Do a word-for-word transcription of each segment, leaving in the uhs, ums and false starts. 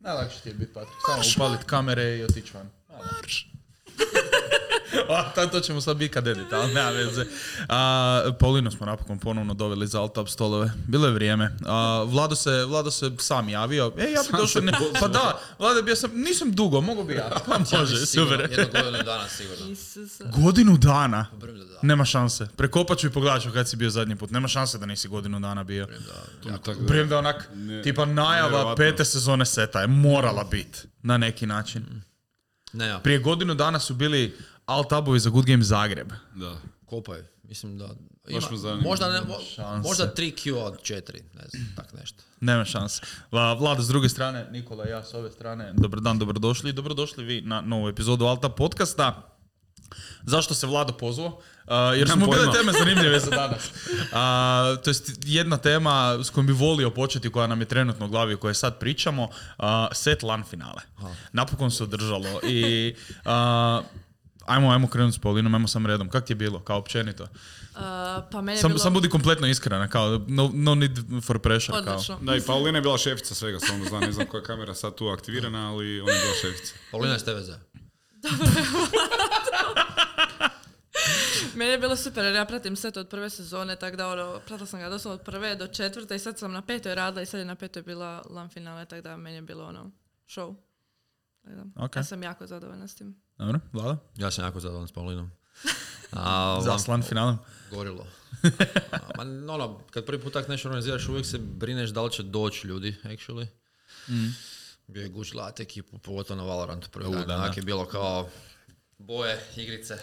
Najlakše ti je biti Patrik. Samo upalit kamere i otići van. Marš! A, to ćemo sad biti kad edit, ali nema veze. A, Paulinu smo napokon ponovno doveli za alt-up stolove. Bilo je vrijeme. A, Vlado, se, Vlado se sam javio. E, ja bi došao... Ne, pa da, Vlado, bio sam, nisam dugo, mogu bi ja. Pa može, super. Jednu godinu dana sigurno. Godinu dana? Nema šanse. Prekopat ću i pogledat ću kad si bio zadnji put. Nema šanse da nisi godinu dana bio. Prijem da onak, ne, tipa najava pete sezone seta je morala biti na neki način. Ne, ja. Prije godinu dana su bili alt-ubovi za Good Game Zagreb. Da. Kopaj, mislim da... Ima, možda, ne, možda tri Q od četiri, ne znam, tak nešto. Nema šanse. Vlada s druge strane, Nikola i ja s ove strane. Dobar dan, dobrodošli. Dobrodošli vi na novu epizodu Alt-up podcasta. Zašto se Vlado pozvao? Uh, jer smo bile teme zanimljive za danas. Uh, to je jedna tema s kojom bi volio početi, koja nam je trenutno u glavi, o kojoj sad pričamo. Uh, set LAN finale. Aha. Napokon se održalo. I uh, ajmo, ajmo krenuti s Paulinom, ajmo sam redom. Kak ti je bilo, kao općenito? Uh, pa meni je sam, bilo... sam budi kompletno iskrena, kao no, no need for pressure. Odlično. Kao. Da, i Paulina je bila šefica svega, samo znam, ne znam koja je kamera sad tu aktivirana, ali ona je bila šefica. Paulina je s tebe za. Dobro. Meni je bilo super jer ja pratim set od prve sezone, tako da ono, pratila sam ga doslovno od prve do četvrte i sad sam na petoj radila i sad je na petoj bila LAN finale, tako da meni je bilo ono, show. Okay. Ja sam jako zadovoljna s tim. Dobro, Vlada? Ja sam jako zadovoljan s Paulinom. Za s LAN finalom? Gorilo. A, ma, ono, kad prvi put tak nešto organiziraš, uvijek se brineš da li će doći ljudi, actually. Mm. Bio je guč gledat ekipu, pogotovo na Valorantu prvi dan. Onak je bilo kao boje, igrice.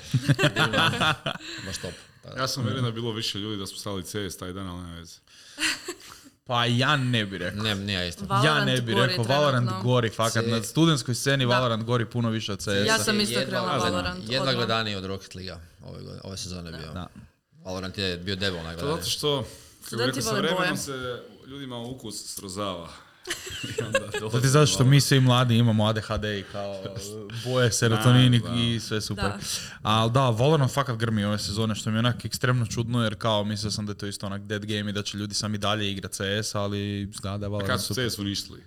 Baš top. Ja sam vjerujem da je bilo više ljudi da smo stali C S taj dan, ali nema veze. Pa ja ne bi rekao. Ne, nije isto. Ja ne bi rekao, Valorant gori, fakat. Na studentskoj sceni da. Valorant gori puno više od C S-a. Ja sam isto krenula Valorant. Jedna gledaniji od Rocket League ove, ove sezone bio. Da. Valorant je bio debel najgledaniji. Zato što, kako rekao, sa vremenom se ljudima ukus srozava. To ti zato što mi svi mladi imamo A D H D i kao boje, serotonin i sve super. Ali da, Valorant fakat grmi ove sezone, što mi je onak ekstremno čudno, jer kao mislio sam da je to isto onak dead game i da će ljudi sami dalje igrati C S, ali zgleda je Valorant super. A kad su C S uništili?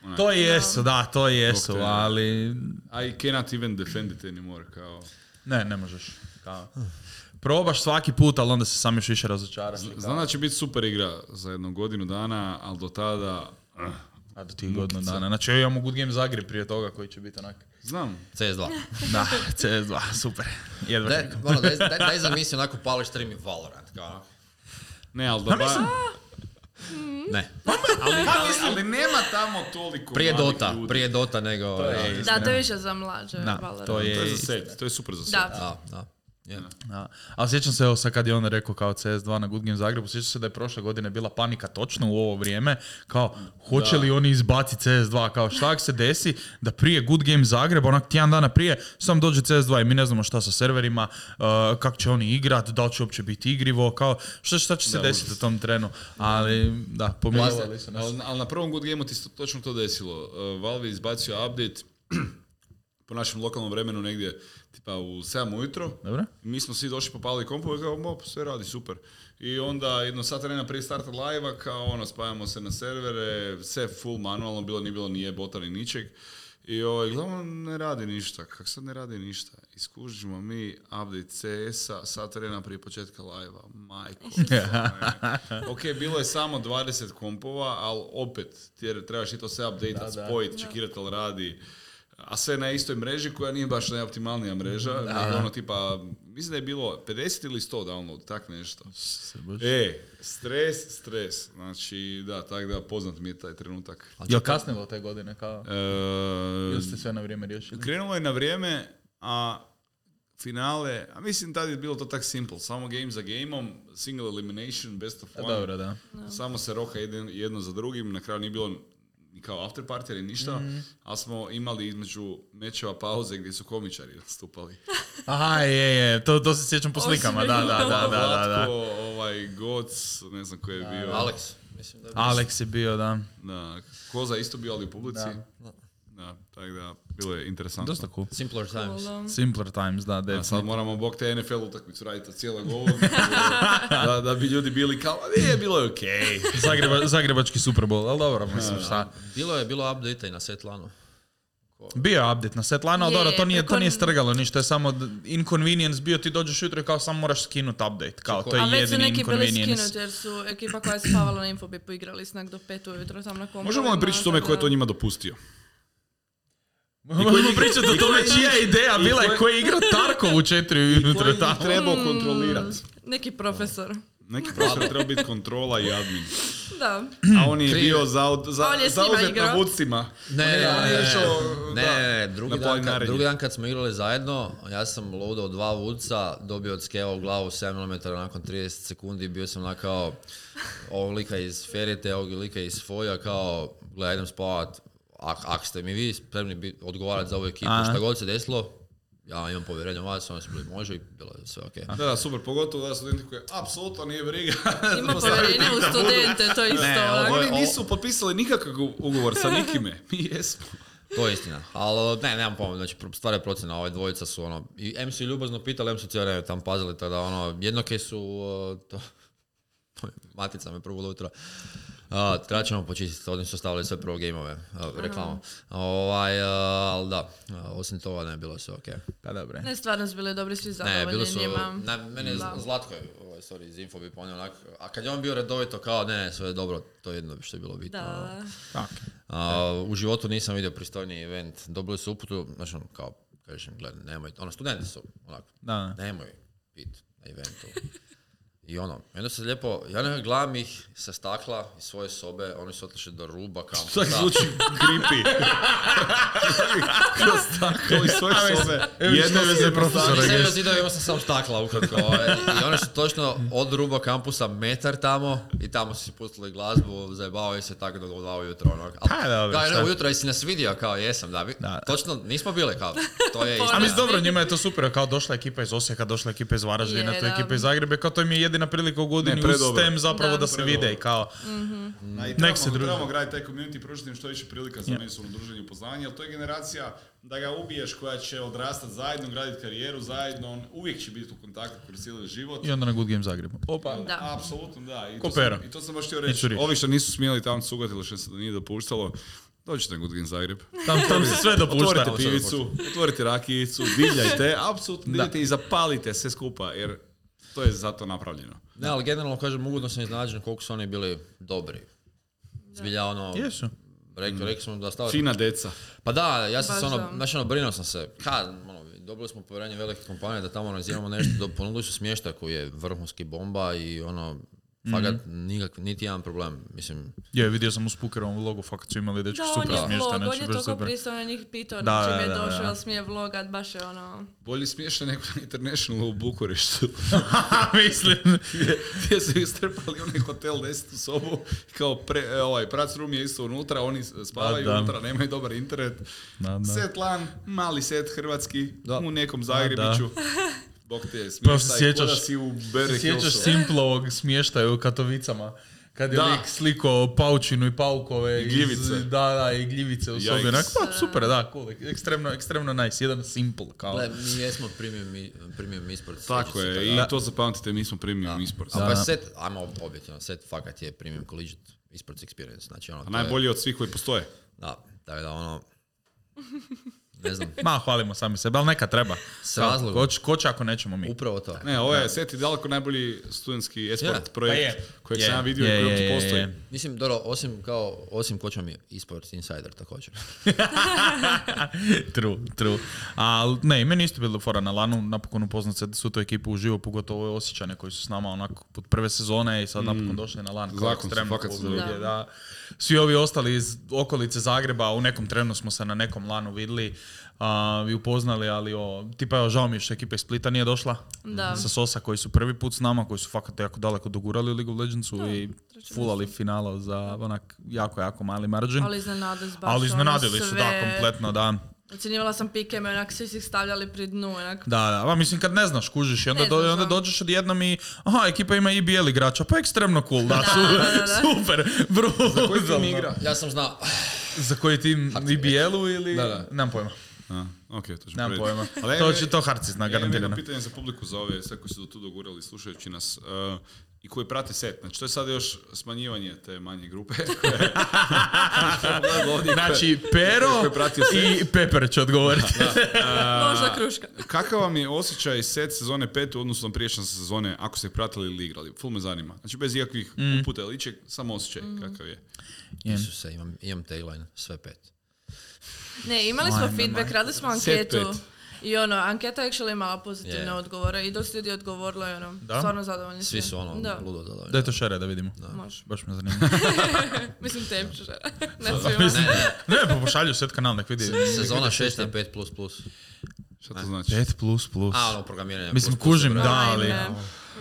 Onak. To jesu, da, to jesu, okay. Ali... I cannot even defend it anymore, kao... Ne, ne možeš, kao... Probaš svaki put, ali onda se sam još više razočaraš. Znam da će biti super igra za jednu godinu dana, ali do tada... Uh, A do tih godinu dana. Znači ja imamo Good Game Zagreb prije toga koji će biti onak... Znam. C S dva. Da, C S dva, super. Jedva daj, ono, daj, daj, daj zamisli onako pališ stream i Valorant, kao... Ne, ali da ba... Ne. ali, ali, ali nema tamo toliko prije Dota, ljudi. Prije Dota nego... To je, da, to je više za mlađe da, Valorant. To je, to je za set, to je super za set. Da. Da, da. Yeah. Da. Ali sjećam se, evo sad kad je on rekao kao C S dva na Good Game Zagrebu, sjećam se da je prošle godine bila panika točno u ovo vrijeme, kao hoće li oni izbaciti C S dva, kao šta se desi da prije Good Game Zagreba, onak tjedan dana prije, sam dođe C S dva i mi ne znamo šta sa serverima, uh, kako će oni igrat, da li će uopće biti igrivo, kao šta, šta će se da, desiti u tom trenu, ali da, pomilovali su nas. Ali, ali na prvom Good Game-u ti se točno to desilo, uh, Valve je izbacio update po našem lokalnom vremenu negdje tipa u sedam ujutro. Dobro. Mi smo svi došli, popalili kompove, kao mop, sve radi super. I onda jedno sat vremena prije starta live-a, kao ono, spajamo se na servere, sve full manualno, bilo nije bilo ni jebota ni ničeg. I ovaj, glavno ne radi ništa, kak sad ne radi ništa. Iskužimo mi update C S-a sat vremena prije početka live-a. Majko. Ok, bilo je samo dvadeset kompova, ali opet, ti trebaš i to sve update-at, spojiti, čekirati ali radi. A sve na istoj mreži koja nije baš najoptimalnija mreža, nego ono tipa, mislim da je bilo pedeset ili sto download, tak nešto. E, stres, stres. Znači, da, tak da, poznat mi je taj trenutak. Jel kasnilo te godine kao? E, Ili ste sve na vrijeme riješili? Krenulo je na vrijeme, a finale, a mislim tada je bilo to tak simple, samo game za gameom, single elimination, best of one. Dobro, da. Samo se roha jedno, jedno za drugim, na kraju nije bilo kao after party ili ništa, mm. ali smo imali između mečeva pauze gdje su komičari nastupali. Aha, je, je, to, to se sjećam po slikama, da, da, da, da, da, da. ovaj, Goc, ne znam ko je bio. Alex, mislim da je bio. Alex je bio, da. Da, Koza isto bio, ali u publici. Da. Da, tako da, bilo je interesantno. Dosta cool. Simpler times. Cool. Simpler times, da, A definitivno. sad moramo bog te N F L utakmicu raditi od cijelog ovog, da, da bi ljudi bili kao, a nije, bilo je okej. Okay. Zagreba, zagrebački Super Bowl, ali dobro, mislim, šta. Bilo je bilo update i na Setlanu. Bio je update na setlanu, ali Je, dobro, to nije, to preko- nije strgalo ništa, je samo d- inconvenience bio, ti dođeš jutro i kao samo moraš skinuti update, kao to je A već su jedini neki bili inconvenience. skinuti jer su ekipa koja je spavala na Infobipu igrali snak do pet ujutro tam na kompovima. Možemo li pričati o tome ko je to njima dopustio? Možemo pričati o tome čija je ideja bila i ko je igrao Tarkov u četiri ujutro Koji tamo. ih trebao kontrolirati? Neki profesor. Neki profesor treba biti kontrola i admin. Da. A on je Krive. bio zaud, za, On je s njima zauzet na igrao. vucima. Ne, On je- ne, on je ne, išao, ne, da, ne, drugi na dan, kad, planinarenje. drugi dan kad smo igrali zajedno, ja sam loadao dva vuca, dobio od skeva u glavu sedam milimetara nakon trideset sekundi, bio sam na kao ovog lika iz Ferite, ovog lika iz Foja, kao, gledaj, idem spavat, ak, ak ste mi vi spremni bit- odgovarati za ovu ekipu, Aha. šta god se desilo, ja imam povjerenje u vas, oni su bili može i bilo je sve okej. Da, da, super, pogotovo da studenti koji apsolutno nije briga. Ima povjerenje u studente, to je isto. Ne, onak. ovo je- Oni nisu potpisali nikakav ugovor sa nikime. Mi jesmo. To je istina, ali ne, nemam pojma, znači stvar je procjena, ove dvojica su ono, i M su i ljubazno pitali, M su cijelo vrijeme tam pazili, tada ono, jednoke su, uh, to, to je, matica me prvo ujutro, uh, treba ćemo počistiti, oni su stavili sve prvo gameove, uh, reklamu, ovaj, uh, ali da, uh, osim toga ne, bilo sve okej. Pa dobro. Ne, stvarno su bili dobri, svi Ne, zadovoljni bili su, njima. na, mene je Da. Zlatko, je, ovaj, sorry, iz Infobipa, on je onak, a kad je on bio redovito kao, ne, ne, sve je dobro, to je jedno što je bilo bitno. Da, da. A, u životu nisam vidio pristojniji event. Dobili su uputu, znači ono, kao, kažem, gledaj, nemoj, ono, studenti su, onako, Da. nemoj biti na eventu. I ono, i onda se lijepo, ja nekako gledam ih sa stakla iz svoje sobe, oni su otišli do ruba kampusa. Tako zvuči creepy. Kroz staklo iz svoje sobe. Jedno veze profesora. Nisam imao zidove, imao sam samo stakla ukratko. ovaj. I oni su točno od ruba kampusa metar tamo i tamo su si pustili glazbu, zajebavaju se tako do dva ujutro. Ono. Pa, dobro, Kao, šta? ne, ujutro jesi nas vidio, kao jesam, da. vi- Da. Točno, nismo bili kao, to je A istina. mislim, dobro, njima je to super, kao došla ekipa iz Osijeka, došla ekipa iz Varaždina, Je, to je da. ekipa iz Zagreba, kao to im je jedina prilika u godini Ne, uz predobro. STEM zapravo da, Da. se Predobro. vide i kao... A i Nek trebamo, se druže. trebamo graditi taj community, pružiti im što više prilika za međusobno druženje i upoznavanje, jer to je generacija da ga ubiješ koja će odrastati zajedno, graditi karijeru zajedno, on uvijek će biti u kontaktu kroz cijeli život. I onda na Good Game Zagrebu. Opa. Da. Apsolutno, da. I Ko to, sam, pero. I to sam baš htio I reći. curi. Ovi što nisu smjeli tamo cugatili, što se nije dopuštalo, dođite na Good Game Zagreb. Tam, tam se sve dopušta. Otvorite pivicu, otvorite rakijicu, divljajte, apsolutno divljajte i zapalite sve skupa, jer to je zato napravljeno. Ne, ali generalno kažem, ugodno sam iznenađen koliko su oni bili dobri. Zbilja ono, Jesu. rekli, rekli smo da stavili. Fina deca. Pa da, ja sam Baš se ono, da. znači ono, brinuo sam se. Kad, ono, dobili smo povjerenje velike kompanije da tamo organiziramo nešto, do, ponudili su smještaj koji je vrhunski bomba i ono, fakat nikak, niti jedan problem, mislim. Je, vidio sam u Spookerovom vlogu, fakat su imali dečki Da, on super je smještaj, vlog, on znači je baš toliko super. pristao na njih pitao Da, na čim da, je da, došao, da. jel smije vlogat, baš je ono... Bolje smiješno nego na International u Bukureštu. Mislim. gdje, gdje su istrpali onaj hotel desetu sobu, kao pre, e, ovaj, prac room je isto unutra, oni spavaju Da, da. unutra, nemaju dobar internet. Da, da. Set lan, mali set hrvatski, Da. u nekom Zagrebiću. Bog te je Pa se smještaj, sjećaš- ko da si u Se Bear sjećaš Hillsu. Simplovog smještaja u Katovicama? Kad je Da. lik slikao paučinu i paukove. I gljivice. Iz, da, da, i gljivice u sobi. Yikes. Onak, pa, super, da, cool. Ekstremno, ekstremno nice. Jedan simple, kao. Gle, mi jesmo premium, i- premium esports. Tako sjećate je, se i toga. to zapamtite, mi smo premium esports. A Da. pa set, ajmo objektivno, set fakat je premium collegiate esports experience, znači ono, A to je- najbolji od svih koji postoje. Da, tako da ono, ne znam, Ma, hvalimo sami sebe, ali neka treba. S razlogom. Ko, će- ko će ako nećemo mi? upravo to. Ne, ovo je set i daleko najbolji studentski esport Je. projekt Pa je. kojeg Je. sam ja vidio Je, i koji je, uopće je, postoji. je. Mislim, dobro, osim kao, osim koča mi je esports insider također. True, true. A ne, i meni isto bilo fora na lanu, napokon upoznat se su tu ekipu uživo, pogotovo ove Osjećane koji su s nama onako pod prve sezone i sad napokon došli na lan. Kao Zakon su, ekstremno fakat cool su ljudi, dobri. da. Svi ovi ostali iz okolice Zagreba, u nekom trenu smo se na nekom lanu vidjeli a, i upoznali, ali o, tipa evo, žao mi je što ekipa iz Splita nije došla. Da. Sa Sosa koji su prvi put s nama, koji su fakat jako daleko dogurali u League of Legendsu Da, i treće fulali finala za onak jako, jako mali margin. Ali iznenadili su baš Ali ono iznenadili su, sve. da, kompletno, da. Ocjenjivala sam pikeme, onak svi su ih stavljali pri dnu, onak. Da, da, pa mislim kad ne znaš, kužiš i onda, Ne do, znaš, onda da. dođeš odjednom i aha, ekipa ima i bijeli igrača, pa ekstremno cool, da, Da, su, da, da, da. super, brutalno. Koji tim igra? Ja sam znao, Za koji tim I B L-u ili... Da, da. Nemam pojma. A, ok, to ćemo Nemam prediti. pojma. Ali To ja- će to Harci zna, Ja imam jedno garantirano. pitanje za publiku, za ove sve koji su do tu dogurali slušajući nas uh, i koji prate set. Znači, to je sad još smanjivanje te manje grupe. Znači, Pero Koji je pratio set. i Pepper će odgovoriti. Možda kruška. Kakav vam je osjećaj set sezone pet u odnosu na prijašnje sezone, ako ste ih pratili ili igrali? Ful me zanima. Znači, bez ikakvih Mm. uputa ili ičeg, samo osjećaj kakav je. Isuse, imam, imam tagline, sve pet. Ne, imali smo Ajme, feedback, majko. radili smo Set anketu. pet. I ono, anketa je actually imala pozitivne Je. odgovore i dosta ljudi je odgovorilo i ono, Da? stvarno zadovoljni. Svi su ono, Da, ludo zadovoljni. Daj to šere da vidimo. može. Baš me zanima. Mislim tebi ću žele. Ne svima. Mislim, ne, pa pošalju set kanal, nek vidi. Sezona šest je pet plus plus. Šta to znači? pet plus plus. A, ono, programiranje. Mislim, plus plus kužim, je da, broj. ali... Ajme,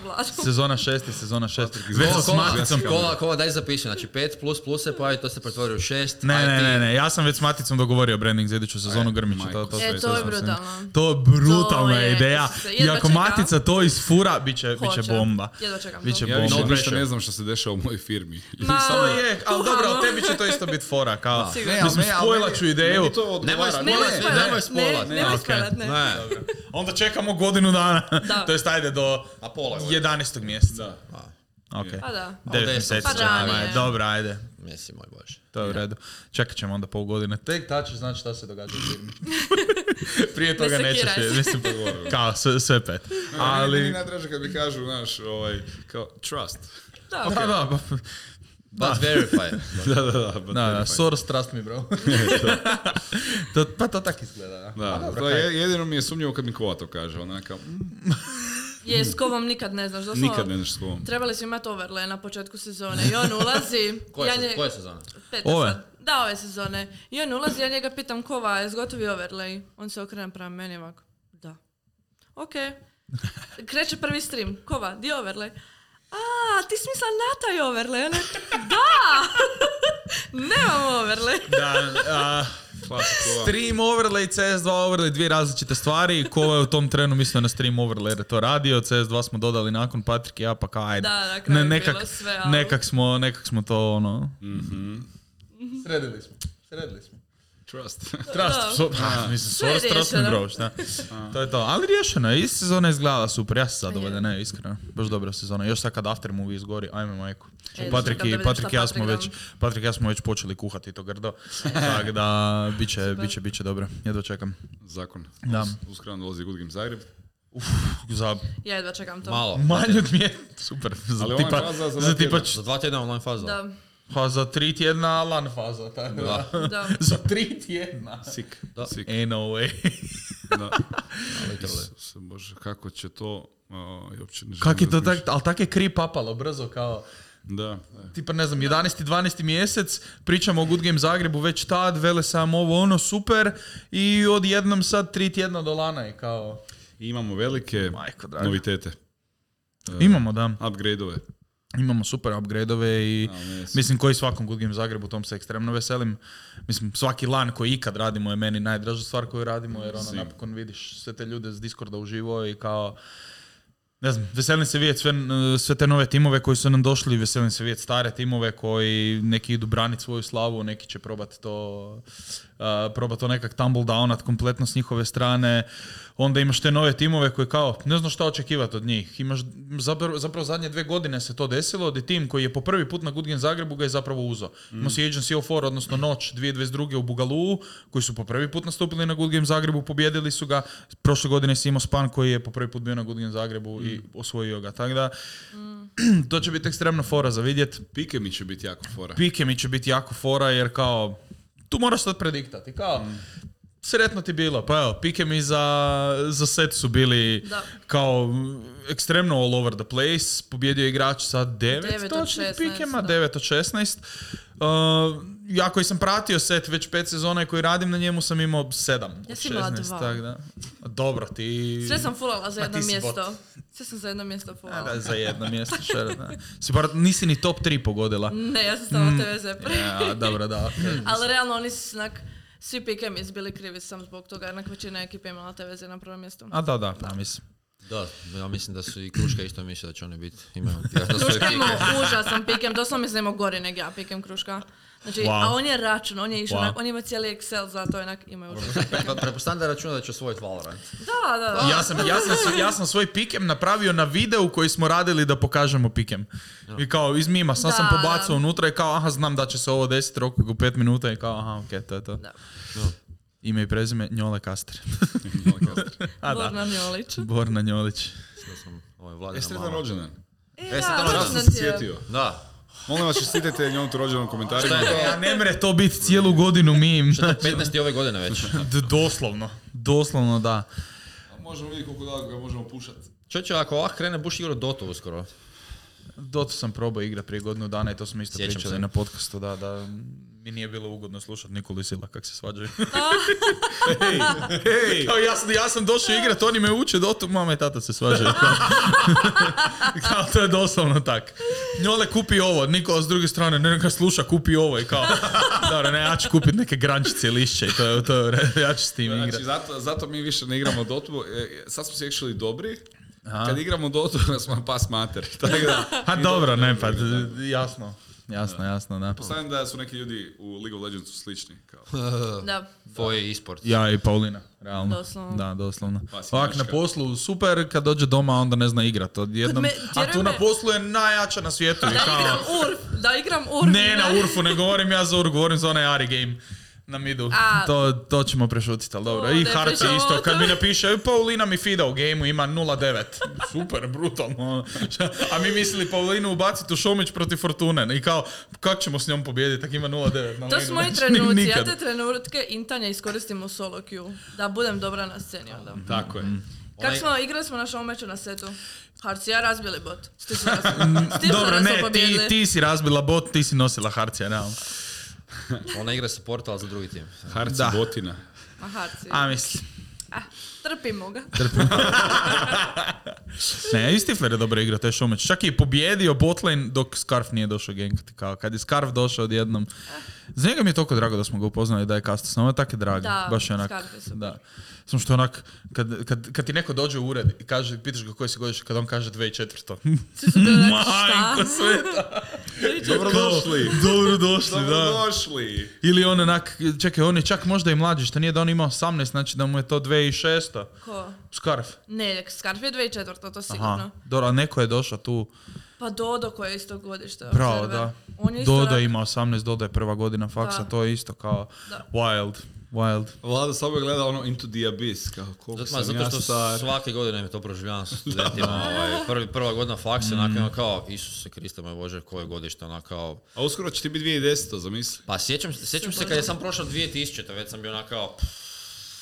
Vlado. Sezona šest je sezona šest. Kola, Već s kola, maticom. kola, kola, daj zapiši, znači pet plus plus se pojavi, to se pretvori u šest. Ne, aj ne, ti- ne, ne, ja sam već s maticom dogovorio branding za iduću sezonu Aj, Grmića. majko, To, to, E, sve- to je sam se- brutalno. To je brutalna To je, ideja. to se- I jedva ako čekam. matica to isfura, bit će, bit će Hoće. bomba. Jedva čekam Biće to. Ja bomba. više No ništa pressure. ne znam što se dešava u mojoj firmi. Ma, To je, ali kuhamo. dobro, ali tebi će to isto biti fora, kao, Sigurno. Ne, ali mislim, ne, ali spojlat meni- ću ideju. meni to Nemoj odgovara. Nemoj Ne, spoilat, nemoj ne, spoilat, ne, ne, nemoj ok. spoilat, ne. Ne, Onda čekamo godinu dana. Da. To jest, ajde, do a pola godine. jedanaestog mjeseca. Da. Ok. Pa da. Devet deset. mjeseci Pa ćemo, ranije. ajde. Dobro, ajde. Mislim, moj bože. To je u redu. Čekat ćemo onda pol godine. Tek tad ćeš znati šta se događa u firmi. Prije toga Ne nećeš. sekiraj se. Mislim, kao sve, sve pet. Ali... Meni Ali... najdraže kad mi kažu, znaš, ovaj, kao, trust. Da. Da, da, ba- But verify. Da, da, da. but da, da, verify. Soros trust me, bro. to, pa to tak izgleda, da. Da, Pa dobro, to kaj. je, jedino mi je sumnjivo kad mi Kova to kaže, onaka, mm, Je, s kovom nikad ne znaš. Doslovno, nikad ne znaš s Kovom. trebali su imati overlay na početku sezone i on ulazi. Koje, ja se, nje- koje sezone? Peta Ove? sad. Da, ove sezone. I on ulazi, ja njega pitam Kova, je gotovi overlay? On se okrene prema meni ovako. Da. Ok. Kreće prvi stream. Kova, di je overlay? A, ti si mislila na taj overlay? Ona, da! Nemam overlay. Da, a, stream overlay, C S dva overlay, dvije različite stvari. Kova je u tom trenu mislio na stream overlay jer je to radio. C S dva smo dodali nakon Patrik i ja, pa kao ajde. Da, na kraju je nekak, bilo sve, ali- nekak, smo, nekak smo to ono... Mhm. Sredili smo. Sredili smo. Trust. Trust, Da. so, ha, mislim, Sve je Soros trust me, riješeno. bro, šta? To je to, ali riješeno je, i sezona je izgledala super, ja sam zadovoljan, ne, iskreno, baš dobra sezona, još sad kad after movie izgori, ajme majku. E, Patrik čekam da i, vidim Patrik i šta ja smo Patrik već, Patrik i ja smo već počeli kuhati to grdo, tako da, bit će, bit će, bit će dobro, jedva čekam. Zakon. Da. Us- Uskoro dolazi Good Game Zagreb. Za Ja jedva čekam to. Malo. manje od mije, super, za Ali tipa, online faza za za dva tipa, tjedna. č- Za dva tjedna online faza. Da, pa za tri tjedna lan faza, tako da. da. Za tri tjedna. Sick. Da. Sick. Ain't no way. Da. Literally. Isuse Bože, kako će to... O, i uopće ne želim Kak je to razmišljati. tak, ali tak je kri papalo brzo kao... Da, da. Tipa ne znam, jedanaesti dvanaesti mjesec, pričamo o Good Game Zagrebu već tad, vele sam ovo ono super i odjednom sad tri tjedna do lana i kao... I imamo velike Majko draga. novitete. Imamo, da. Upgrade-ove. Imamo super upgrade-ove i Ali ne, mislim koji svakom Good Game Zagrebu, tom se ekstremno veselim. Mislim, svaki lan koji ikad radimo je meni najdraža stvar koju radimo jer ono Sim. napokon vidiš sve te ljude s Discorda uživo i kao... Ne znam, veselim se vidjeti sve, sve te nove timove koji su nam došli, veselim se vidjeti stare timove koji neki idu braniti svoju slavu, neki će probati to, uh, probati to nekak tumble downat kompletno s njihove strane. Onda imaš te nove timove koji kao, ne znaš šta očekivati od njih. Imaš, zapravo, zapravo zadnje dve godine se to desilo, da tim koji je po prvi put na Good Game Zagrebu ga je zapravo uzo. Mm. Imao si Agency of Four, odnosno Noć dvije tisuće dvadeset druge u Bugaluu, koji su po prvi put nastupili na Good Game Zagrebu, pobjedili su ga. Prošle godine si imao Span koji je po prvi put bio na Good Game Zagrebu mm. i osvojio ga. Tako da, mm. to će biti ekstremna fora za vidjet. Pike mi će biti jako fora. Pike mi će biti jako fora jer kao, tu moraš sad prediktati. Kao, mm. sretno ti bilo. Pa evo, pike mi za, za set su bili Da. kao ekstremno all over the place. Pobjedio je igrač sa devet devet od točnih šesnaest, pikema, da. devet od šesnaest. Uh, ja koji sam pratio set već pet sezona i koji radim na njemu sam imao sedam Ja od sam imala šesnaest. dva. Tak da. Dobro, ti... Sve sam fulala za Ma jedno ti si mjesto. bot. Sve sam za jedno mjesto A, fulala. da, za jedno mjesto, šer, da. Si bar, nisi ni top tri pogodila. Ne, ja sam stavila te veze. Ja, dobro, da. Okay. Ali realno oni su onak, svi pikemi bili krivi sam zbog toga, jednak većina ekipe imala te veze na prvom mjestu. A da, da, pa mislim. Da, ja mislim da su i Kruška isto misle da će oni biti. Imaju Kruška ima užasan pikem, doslovno mislim da ima gori nego ja pikem Kruška. Znači, wow. a on je račun, on je išao, wow. onak, on ima cijeli Excel, zato onak imaju užasan. Pa prepostavljam da računa da će osvojiti Valorant. Da, da, da. Ja sam, ja, sam, ja sam svoj pikem napravio na videu koji smo radili da pokažemo pikem. I kao iz mima, sam da, sam pobacao da. unutra i kao aha znam da će se ovo desiti roku u pet minuta i kao aha okej, okay, to je to. Da. No. Ime i prezime Njole Kaster. A, da. Borna Njolić. Borna Njolić. Sada sam ovaj Vladina Jeste mama. sretan rođendan? E, E, sad da, ono Ja rođendan sam se ti je. sjetio. Da. Molim vas, čestitajte njom tu rođendan u komentarima. Šta je to? Ja ne mre to biti cijelu godinu mim. Što je petnaesti ove godine već. D- doslovno. Doslovno da. A možemo vidjeti koliko daleko ga možemo pušati. Čoče, ako ovak krene, buš igrao Dotu uskoro. Dotu sam probao igra prije godinu dana i to smo isto Sjećam pričali se. na podcastu, da, da mi nije bilo ugodno slušati Nikolu i Sila kak se svađaju. Hej, hej! Kao ja, sam, ja sam došao igrat, oni me uče Dotu, mama i tata se svađaju. Kao, kao to je doslovno tak. Njole kupi ovo, Nikola s druge strane ne ga sluša, kupi ovo i kao, dobro, ne, ja ću kupiti neke grančice i lišće i to je, to je, ja ću s tim igrat. Znači, zato, zato mi više ne igramo Dotu. E, sad smo se actually dobri. Kad igramo Dotu, smo pas mater. Tako da, Ha dobro, ne pa, d- jasno, jasno, jasno, da. Postavljam da su neki ljudi u League of Legendsu slični. Kao. Da. Tvoj e-sport. Ja i Paulina, realno. Doslovno. Da, doslovno. Pa si Ovak na Njemačka. poslu super, kad dođe doma onda ne zna igrat. Odjednom, me- a vjeruj tu na me- poslu je najjača na svijetu. i Da kao, igram Urf, da igram Urf. ne na Urfu, ne govorim ja za Urf, govorim za onaj Ari game na midu. A. To, to ćemo prešutiti, ali dobro. O, I ne Harci pričamo isto, o kad mi tome. napiše, "E, Paulina mi fida u gameu, ima nula devet. Super, brutalno. A mi mislili Paulinu ubaciti u Šomić protiv Fortune. I kao, kako ćemo s njom pobijediti, tak ima nula devet. na To linu. su moji Znači, trenuci, ja nikad. te trenutke intanja iskoristim u solo queue, da budem dobra na sceni onda. Tako je. Kako Onaj- smo, igrali smo na showmeču na setu, Harci ja razbili bot, Stisla smo, Stisla Dobro, smo ne, ti, pobjedili. ti si razbila bot, ti si nosila Harcija, realno. Ona igra supporta, ali za drugi tim. Harci Da. botina. A Harci, A, mislim. ah, trpimo ga. Ne, i Stifler je dobra igra, to je Šomeć. Čak je pobjedio botlane dok Scarf nije došao gankati. Kao kad je Scarf došao odjednom. Za njega mi je toliko drago da smo ga upoznali da je Kastos. Ovo je tako drag. Da, baš je onak. Scarf je super. Da. Samo što je onak, kad, kad, kad ti neko dođe u ured i kaže, pitaš ga koji si godište, kad on kaže dve tisuće četvrto. Svi su bili neki, Majko šta? sveta. Dobrodošli. Dobrodošli, da. Dobrodošli. Ili on onak, čekaj, on je čak možda i mlađi, što nije da on ima osamnaest, znači da mu je to dve tisuće šesto. Ko? Scarf. Ne, Scarf je dve tisuće četvrto, to sigurno. Aha, dobro, a neko je došao tu. Pa Dodo koji je isto godište. Bravo, observer. da. On je isto Dodo rak- ima osamnaest, Dodo je prva godina faksa, Da. to je isto kao Da. wild, wild. Vlada samo gleda ono Into the Abyss. Kao, koliko Zato, ma, sam zato ja što star. svake godine mi to proživljavam sa studentima. ovaj, prvi, prva godina faksa, mm. onako kao, Isuse Kriste moj Bože, koje godište, onako kao... A uskoro će ti biti dvije tisuće deseta, zamisli. Pa sjećam, sjećam se kad je sam prošao dvije tisuće, već sam bio onako kao...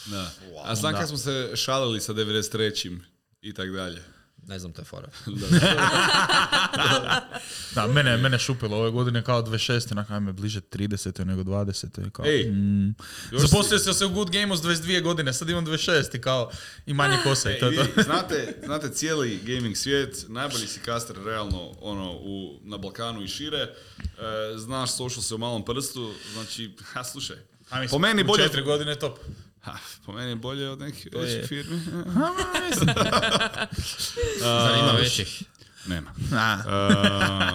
Da. A znam kad smo se šalili sa devedeset trećim i tak dalje. Ne znam te fore. Da, mene, mene šupilo ove godine kao dvadeset šest, onako ajme bliže trideset nego dvadeset. Kao, Ej, mm. još Zaposlio sam se u Good Gameu s dvadeset dvije godine, sad imam dvadeset šest i kao i manje kose i to je I to. vi znate, znate cijeli gaming svijet, najbolji si caster realno ono, u, na Balkanu i šire. E, znaš social se u malom prstu, znači, ha, slušaj. A mislim, Po meni u bolje... četiri godine je top. Ha, po meni je bolje od nekih je- većih firmi. Zar ima većih? Nema. A,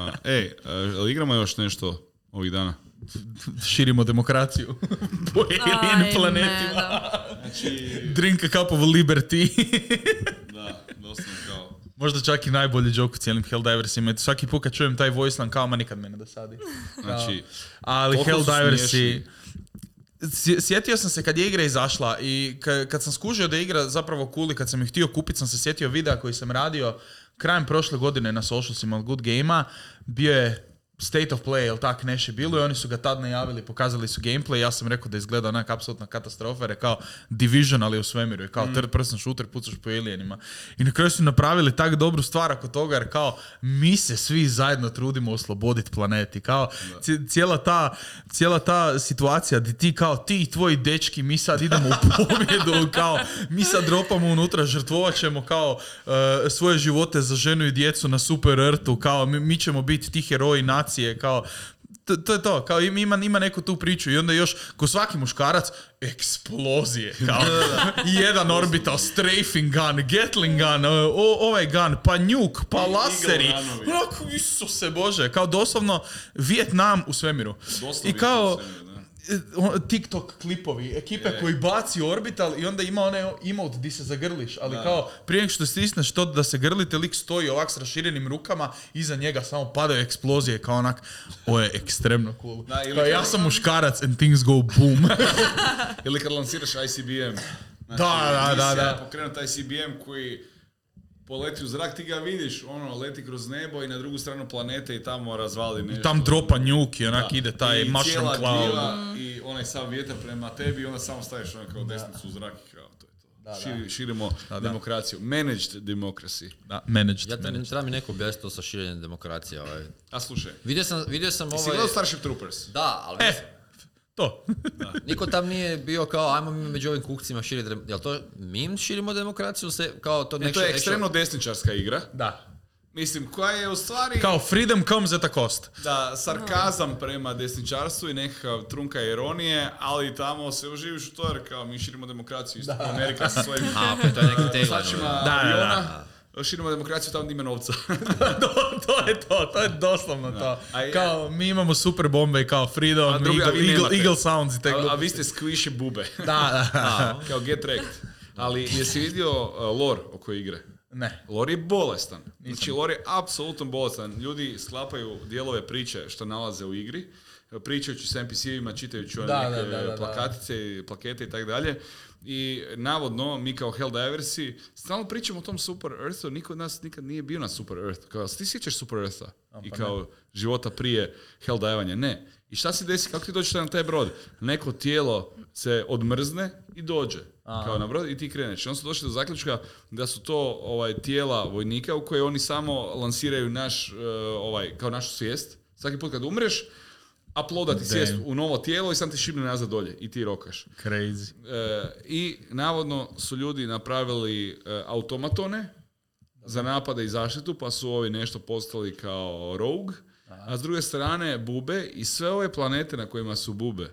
Uh, ej, uh, igramo još nešto ovih dana? širimo demokraciju po alien Ajme, planetima. da. Znači, Drink a cup of liberty. da, doslovno kao... Možda čak i najbolji joke u cijelim Helldiversima. Svaki put kad čujem taj voice line kao, ma nikad me ne dosadi. Znači, Ali toliko su Helldiversi... smiješni. Sje- Sjetio sam se kad je igra izašla i ka- kad sam skužio da je igra zapravo cool i kad sam ih htio kupiti, sam se sjetio videa koji sam radio krajem prošle godine na socialsima od Good Gamea. Bio je State of Play, jel tak, nešto je bilo i oni su ga tad najavili, pokazali su gameplay. Ja sam rekao da izgleda onak apsolutna katastrofa jer je kao Division, ali u svemiru. Je kao third person shooter, pucaš po alienima. I na kraju su napravili tak dobru stvar oko toga jer kao mi se svi zajedno trudimo osloboditi planet. I kao ci- cijela ta, cijela ta situacija gdje ti kao ti i tvoji dečki mi sad idemo u pobjedu, kao mi sad dropamo unutra, žrtvovat ćemo kao uh, svoje živote za ženu i djecu na super rtu, kao mi, mi ćemo biti ti heroji nacije, kao To, to je to, kao ima, ima neku tu priču i onda još, ko svaki muškarac, eksplozije, kao jedan orbital, strafing gun, gatling gun, o, ovaj gun, pa nuke, pa laseri, onako, Isuse Bože, kao doslovno Vijetnam u svemiru. Doslovno I kao, u svemiru, TikTok klipovi, ekipe je. koji baci orbital i onda ima onaj emote di se zagrliš, ali da. Kao prije nego što stisneš to da se grlite, lik stoji ovak s raširenim rukama, iza njega samo padaju eksplozije, kao onak, ovo je ekstremno cool. Da, ili kao kao- ja sam muškarac and things go boom. Ili kad lansiraš I C B M. Znači, Da, da, da, misija da. Pokrenut I C B M koji poleti u zrak, ti ga vidiš, ono, leti kroz nebo i na drugu stranu planete i tamo razvali nešto. Tam dropa nuke i onak Da. ide taj I mushroom cijela cloud. gljiva i onaj sam vjetar prema tebi i onda samo staviš ono kao desnicu u zrak i kao to je to. Da, da. Širi, širimo Da, da. demokraciju. Managed democracy. Da, managed, Ja te, managed. treba mi neko objasniti to sa širenjem demokracije. Ovaj. A slušaj, Vidio sam, vidio sam si ovaj... gledao Starship Troopers? Da, ali E, to. niko tam nije bio kao, ajmo mi među ovim kukcima širiti, dem- jel to mi širimo demokraciju, se, kao to E, nešto... to je ekstremno desničarska igra. Da. Mislim, koja je u stvari Kao freedom comes at a cost. da sarkazam prema desničarstvu i nekakav trunka ironije, ali tamo se uživiš u to jer kao mi širimo demokraciju, isto kao Amerika sa svojim A, pa to je neki teglan. sačima ovaj. Da, da, aviona. Širimo demokraciju tamo gdje ima novca. to, to je to, to je doslovno to. A ja- Kao, mi imamo super bombe i kao freedom, A drugi- a eagle, vi eagle, nemate. eagle sounds i te a, a gluposti. vi ste squishy bube. Da, da, da. Kao get wrecked. Ali jesi vidio uh, lore oko igre? Ne. Lore je bolestan. Znači, lore je apsolutno bolestan. Ljudi sklapaju dijelove priče što nalaze u igri, pričajući s N P C-evima, čitajući one Da, neke da, da, da, plakatice, plakete i tako dalje. I navodno, mi kao Helldiversi stalno pričamo o tom Super Earthu, niko od nas nikad nije bio na Super Earth. Kao, ti sjećaš Super Eartha? I kao života prije Helldivanja? Ne. I šta se desi, kako ti dođeš na taj brod? Neko tijelo se odmrzne i dođe. Kao na brod i ti kreneš. I onda su došli do zaključka da su to ovaj, tijela vojnika u koje oni samo lansiraju naš, uh, ovaj, kao našu svijest. Svaki put kad umreš, uploadati svijest u novo tijelo i sam ti šibne nazad dolje i ti rokaš. Crazy. E, I navodno su ljudi napravili e, automatone za napade i zaštitu, pa su ovi nešto postali kao rogue, a s druge strane bube i sve ove planete na kojima su bube,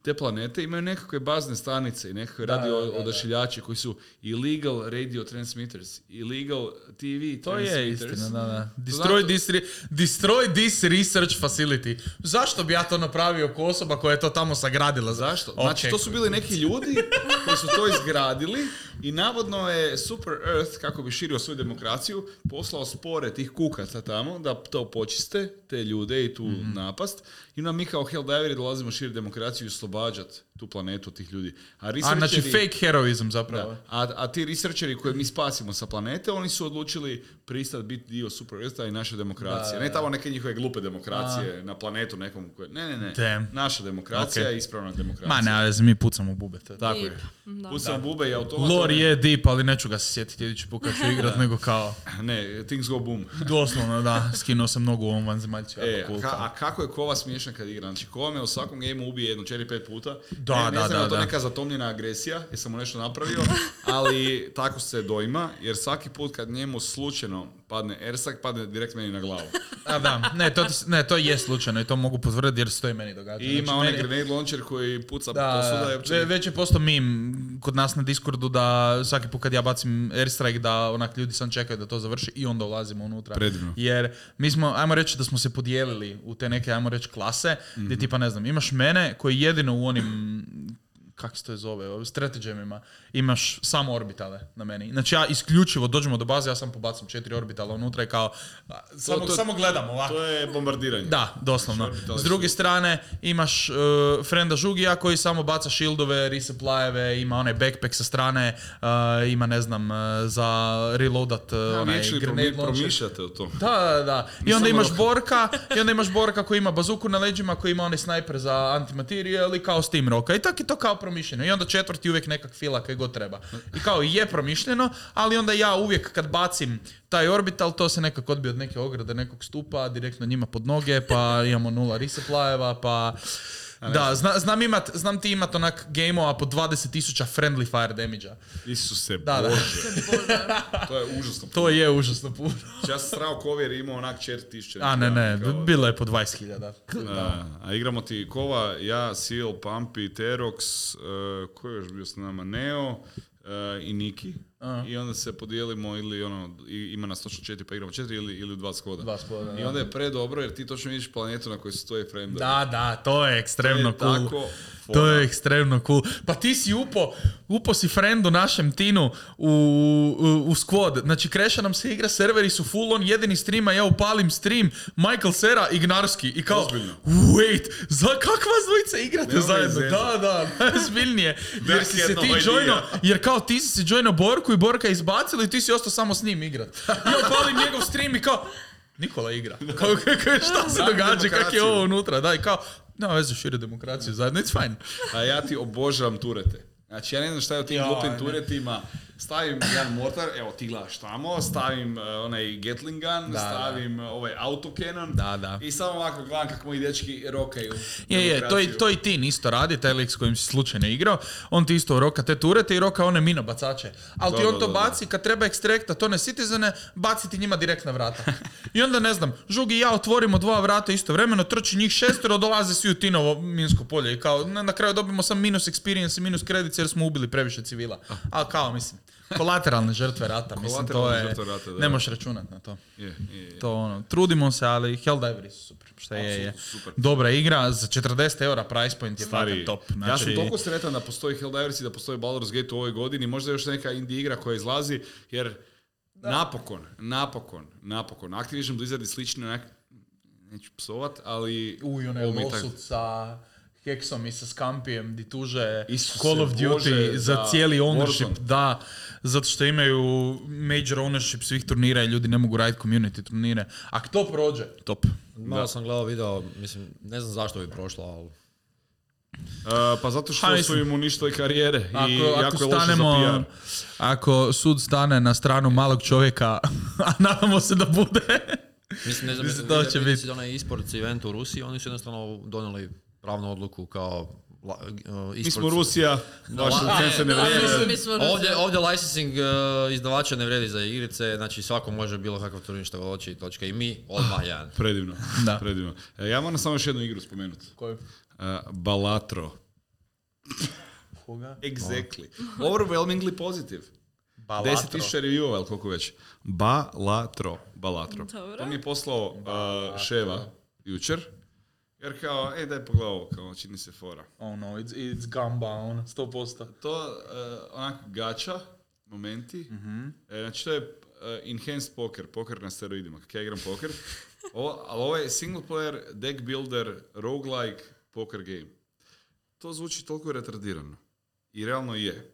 te planete imaju nekakve bazne stanice i nekakve Da, radio da, da, da. odašiljači koji su illegal radio transmitters, illegal T V To je transmitters. istina, da, da. znači- Destroy this, re- destroy this research facility. Zašto bi ja to napravio ko osoba koja je to tamo sagradila? Zašto? Ok. Znači, to su bili neki ljudi koji su to izgradili i navodno je Super Earth, kako bi širio svoju demokraciju, poslao spore tih kukaca tamo da to počiste, te ljude i tu Mhm. napast. I onda mi kao Helldiveri dolazimo širiti demokraciju i oslobađati tu planetu od tih ljudi. A, A, researcheri- znači fake heroizam zapravo. Da. A, a ti researcheri koje mi spasimo sa planete, oni su odlučili pristati biti dio Super Eartha i naše demokracije. Da, Ne da. tamo neke njihove glupe demokracije na planetu nekom koje... Ne, ne, ne. Damn. Naša demokracija Ok. je ispravna demokracija. Ma ne, ali mi pucamo bube. To je Tako Deep. je. Da. Pucam bube i automatone. Lore je deep, ali neću ga se sjetiti idući put kad ću igrat, nego kao, Ne, things go boom. doslovno, da, skinuo sam nogu u ovom vanzemaljcu, E, jako cool. ka- kao. a kako je kova smiješan kad igra? Znači, kova me u svakom gameu ubije jedno četiri pet puta. Da, ne, ne da, znam da, je li to da. neka zatomljena agresija, jer sam mu nešto napravio, ali tako se dojma, jer svaki put kad njemu slučajno padne ersak, padne direkt meni na glavu. A da, ne to, ti- ne, to je slučajno i to mogu potvrditi jer se to i meni događa. I ima Znači, onaj meni- grenade launcher koji puca Da, posuda. i uopće ve- ne- već je postao meme kod nas na Discordu da svaki put kad ja bacim airstrike da onak ljudi sam čekaju da to završi i onda ulazimo unutra. Predivno. Jer mi smo, ajmo reći da smo se podijelili u te neke, ajmo reći, klase, gdje tipa ne znam, imaš mene koji jedino u onim, kako se to zove, strategijama, imaš samo orbitale na meni. Znači ja isključivo dođemo do baze, ja sam pobacim četiri orbitala unutra i kao, a, samo, to- samo gledam ovako. To je bombardiranje. Da, doslovno. Orbitali S druge su- strane imaš uh, frenda Žugija koji samo baca shieldove, resupplyeve, ima onaj backpack sa strane, uh, ima ne znam, uh, za reloadat uh, Ja, onaj actually grenade promi- launcher. promišljate o tom. Da, da, da. I Nisam onda imaš rokao. Borka, i onda imaš Borka koji ima bazuku na leđima, koji ima onaj snajper za antimaterijal i kao Steam roka. I tako je to kao promišljeno. I onda četvrti uvijek nekak fila kaj god treba. I kao je promišljeno, ali onda ja uvijek kad bacim taj orbital, to se nekako odbije od neke ograde, nekog stupa, direktno njima pod noge, pa imamo nula resupplyeva, pa Da, zna, znam, imat, znam ti imat onak game-ova po dvadeset tisuća friendly fire damage-a. Isuse Da, da. Bože. To je užasno puno. To je užasno puno. Ja sam strao kovjer imao onak četiri tisuće. A ne, ne, bilo je po dvadeset hiljada. A, a igramo ti Kova, ja, Seal, Pampi, Terox, uh, ko je još bio s nama, Neo uh, i Niki. Uh. I onda se podijelimo ili ono, i, ima nas točno četiri pa igramo četiri ili, ili u dva skoda. Dva skoda, I onda je predobro jer ti točno vidiš planetu na kojoj su tvoji friendovi. Da, da, to je ekstremno To je cool. tako To je ekstremno cool. Pa ti si upo, upo si friendu našem Tinu u, u, u squad. Znači, kreša nam se igra, serveri su full on, jedini streama, ja upalim stream, Michael Cera, Ignarski. I kao, Ozbiljno. wait, za kak vas dvojice igrate Nema zajedno? izveza. Da, da, najozbiljnije. Jer si se jedna ti idea. joino, jer kao ti si se joino Borku i Borka izbacili i ti si ostao samo s njim igrat. Ja upalim njegov stream i kao, Nikola igra. Kao, kao, šta se Brani događa, kak je demokraciju. ovo unutra? Da, i kao, nema veze, šire demokraciju zajedno, it's fine. A ja ti obožavam turete. Znači, ja ne znam šta je u tim Joj, glupim ne. turetima. Stavim jedan mortar, evo ti gledaš tamo, stavim uh, onaj Gatling gun, Da, stavim uh, ovaj autocannon Da, da. i samo ovako gledam kako moji dečki rokaju. Je, je, to i, to i Tin isto radi, taj lik s kojim si slučajno igrao, on ti isto roka te turete i roka one minobacače. Ali ti Da, on da, to da, baci, kad treba ekstrektat one citizene, baci ti njima direkt na vrata. I onda, ne znam, Žugi i ja otvorimo dva vrata istovremeno, trči njih šestero, dolaze svi u Tinovo minsko polje i kao, na, na kraju dobimo sam minus experience i minus credits jer smo ubili previše civila. Ali kao, mislim, kolateralne žrtve rata, mislim, to Kolateralne je, žrtve rata, da. ne možeš računat na to. Je, je, je. To ono, trudimo se, ali Helldiveri su super, šta je, je. Apsolutno super. Dobra igra, za četrdeset eura price point je Stari, fucking top. ja sam Znači, toliko sretan da postoji Helldivers i da postoji Baldur's Gate u ovoj godini, možda još neka indie igra koja izlazi, jer napokon, napokon, napokon, Activision Blizzard i slični, onak, neću psovat, ali... uj, onaj ovo mi je tak- lawsuit sa Hexom i sa Scampijem di tuže Isuse Call of Duty Bože, za da, cijeli ownership, Warzone. da, zato što imaju major ownership svih turnira i ljudi ne mogu raditi community turnire. Ako to prođe, top. Malo sam gledao video, mislim, ne znam zašto bi prošlo, ali... Uh, pa zato što Ha, su mislim, im uništili karijere i Ako, jako ako je loše za stanemo, P R. ako sud stane na stranu malog čovjeka, a nadamo se da bude, Mislim, ne znam, Mislim, mislim, to vidio- će vidio biti. si onaj e-sports event u Rusiji, oni su jednostavno donijeli pravnu odluku kao la- uh, Mi smo e-sports- Rusija, vaše La- licence ne Da, vrijede. mislim, mi smo Ovdje, Rusija. ovdje licensing uh, izdavača ne vredi za igrice, znači svako može bilo kakav turnir što hoće i točka. I mi odmah jedan. Predivno, Da. predivno. E, ja moram samo još jednu igru spomenuti. Koju? Uh, Balatro. Koga? Exactly. Overwhelmingly positive. deset tisuća review-ova, ili koliko već. Balatro. Balatro. Dobro. To mi je poslao uh, Ševa jučer. Jer kao, ej daj pogledaj ovo, kao čini se fora. Oh no, it's, it's gamba, on, sto posto. To uh, onak gača, momenti. Mm-hmm. E, znači to je uh, enhanced poker, poker na steroidima, kako ja igram poker. O, ali ovo je single player, deck builder, roguelike, poker game. To zvuči toliko retardirano. I realno je.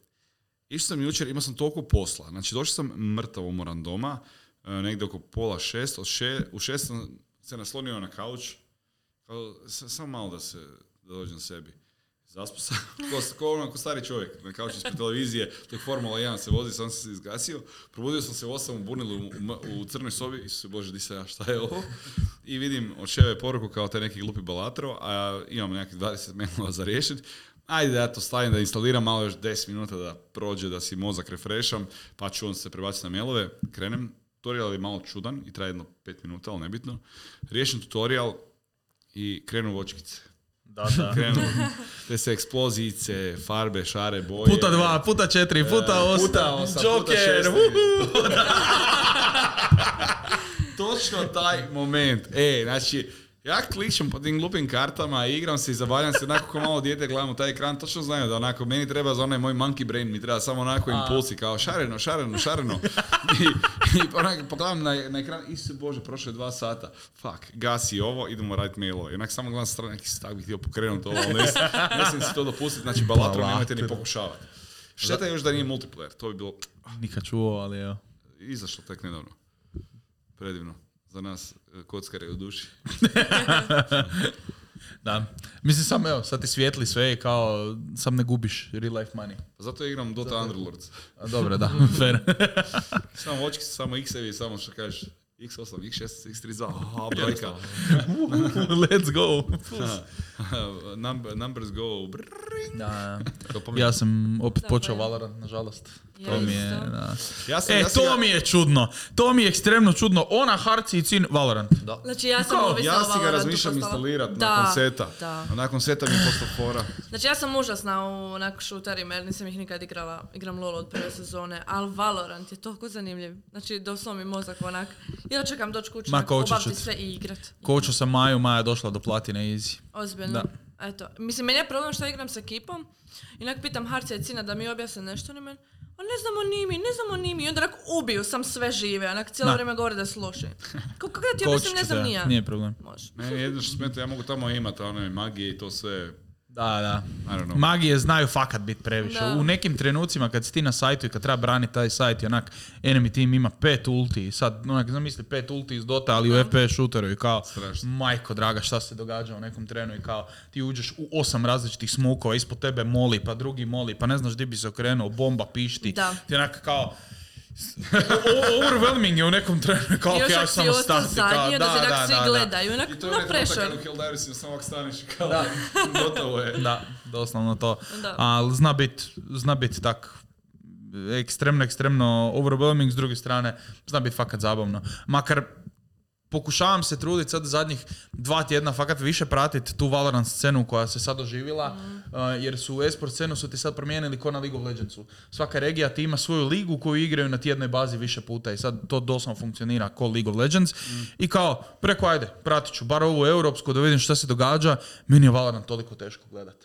Išao sam jučer, imao sam toliko posla. Znači došao sam mrtav umoran doma, uh, negdje oko pola šest, od še, u šest sam se naslonio na kauč, kao, s- samo malo da se da dođem sebi. Zaspao sam, ko, ko, ono, ko stari čovjek, na kauču ispred televizije, dok Formula jedan se vozi, sam se izgasio. Probudio sam se u osam u Bunilu u, u, u crnoj sobi, Isuse Bože, di sam ja, šta je ovo? I vidim od Ševe poruku kao taj neki glupi balatro, a imam nekih dvadeset mailova za riješiti. Ajde da ja to stavim, da instaliram malo još deset minuta da prođe, da si mozak refresham, pa ću on se prebaciti na mailove, krenem. Tutorial je malo čudan i traje jedno pet minuta, ali nebitno. Riješim tutorial i krenu vočkice. Da, da. Krenu te se eksplozijice, farbe, šare, boje. Puta dva, puta četiri, puta E, osam, puta osam, Joker, puta šest. uhu. Točno taj moment. E, znači, ja klikšem po tim glupim kartama, igram se i zabavljam se onako kao malo dijete, gledam u taj ekran, točno znaju da onako, meni treba za onaj moj monkey brain, mi treba samo onako impulsi, kao šareno, šareno, šareno. I, i onako pogledam na, na ekran, Isuse Bože, prošlo je dva sata, fuck, gasi ovo, idemo raditi mailove. I onak samo gledam sa strane, neki se tak bih htio pokrenuti ovo, ali ne, ne smijem si to dopustiti, znači balatro nemojte ni pokušavati. Šteta je još da nije multiplayer, to bi bilo Nikad čuo, ali evo. izašlo tek nedavno. Predivno. Za nas e, kockare u duši. Da. Mislim sam, evo, sad ti svijetli sve i kao, sam ne gubiš real life money. Zato igram Dota Underlords. A, dobro, da, fair. Samo očki, samo x-evi, samo što kažeš, iks osam, iks šest, iks trideset dva, aha, brojka. Let's go. Number, numbers go. Da, ja sam opet Tako počeo je. Valorant, nažalost. Ja To mi je, isto. da. Ja sam, E, ja sam to ga- mi je čudno. To mi je ekstremno čudno. Ona, Harci i Cin, Valorant. Da. Znači ja sam Kao, ovisna Ja o si ga Valorantu razmišljam postala. instalirat Da, nakon seta. Da. A nakon seta mi je postao fora. Znači ja sam užasna u onak šuterima jer nisam ih nikad igrala. Igram LoL od prve sezone, ali Valorant je toliko zanimljiv. Znači doslovno mi mozak onak. Ja čekam doći kući, Ma, onak, kočat ću obaviti te. sve i igrat. Kočo sam Maju, Maja došla do platine easy. Ozbiljno. Da. Eto. Mislim, meni je problem što igram s ekipom. I onak pitam Harca i Cina da mi objasne nešto. Oni meni, a ne znamo ni mi, ne znamo ni mi. I onda onak ubiju sam sve žive. Onak cijelo Da. vrijeme govore da su loši. Kako kako da ti objasnim, ne znam ni ja. Nije problem. Može. Meni jedino što smeta, ja mogu tamo imati one magije i to sve. Da, da. I don't know. Magije znaju fakat biti previše. Da. U nekim trenucima kad si ti na sajtu i kad treba braniti taj sajt i onak enemy team ima pet ulti i sad onak zamisli pet ulti iz Dota ali u F P S shooteru i kao Strašno. majko draga šta se događa u nekom trenu i kao ti uđeš u osam različitih smokova, ispod tebe moli pa drugi moli pa ne znaš di bi se okrenuo, bomba pišti. Da. Ti onak kao o- overwhelming je u nekom trenu kao I još ja ako si samo ostao stati. kao, zadnji, onda da, se da, tak svi da, da. gledaju. Onak, I to je no onaj trenutak pressure. kad u Helldivesima samo ovak staneš i kao gotovo je. Da, doslovno to. Da. Ali zna bit, zna bit tak ekstremno, ekstremno overwhelming, s druge strane zna bit fakat zabavno. Makar pokušavam se truditi sad zadnjih dva tjedna fakat više pratiti tu Valorant scenu koja se sad oživila, Mm. uh, jer su u esport scenu su ti sad promijenili ko na League of Legendsu. Svaka regija ti ima svoju ligu koju igraju na tjednoj bazi više puta i sad to doslovno funkcionira ko League of Legends. Mm. I kao, preko ajde, pratit ću bar ovu europsku da vidim šta se događa, meni je Valorant toliko teško gledat.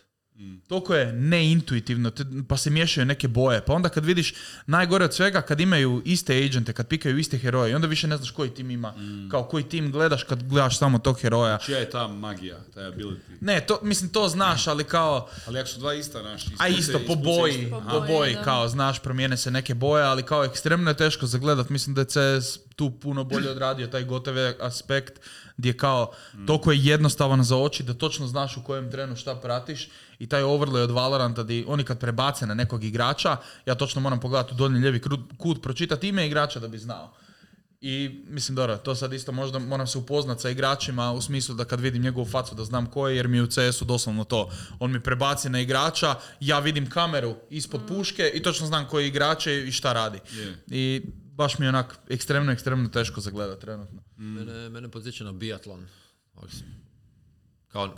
Toliko je neintuitivno, te- pa se miješaju neke boje. Pa onda kad vidiš najgore od svega, kad imaju iste agente, kad pikaju iste heroje, i onda više ne znaš koji tim ima. Kao koji tim gledaš kad gledaš samo tog heroja. Čija je ta magija, taj ability? Ne, to, mislim to znaš, ali kao... Ali ako su dva ista, naš, A isto, po boji, Po po boji, boji, da. kao, znaš, promijene se neke boje, ali kao ekstremno je teško zagledat. Mislim da je C S tu puno bolje odradio taj gotovi aspekt, gdje kao, toliko je jednostavan za oči da točno znaš u kojem trenu šta pratiš i taj overlay od Valoranta, di oni kad prebace na nekog igrača, ja točno moram pogledati u donji lijevi kru- kut, pročitati ime igrača da bi znao. I mislim, dobro, to sad isto možda moram se upoznat sa igračima u smislu da kad vidim njegovu facu da znam ko je, jer mi je u C S-u doslovno to. On mi prebaci na igrača, ja vidim kameru ispod puške i točno znam koji je igrač je i šta radi. Je. I baš mi je onak ekstremno, ekstremno teško zagledat trenutno. Mene, mene podsjeća na biatlon. Ovak si- Kao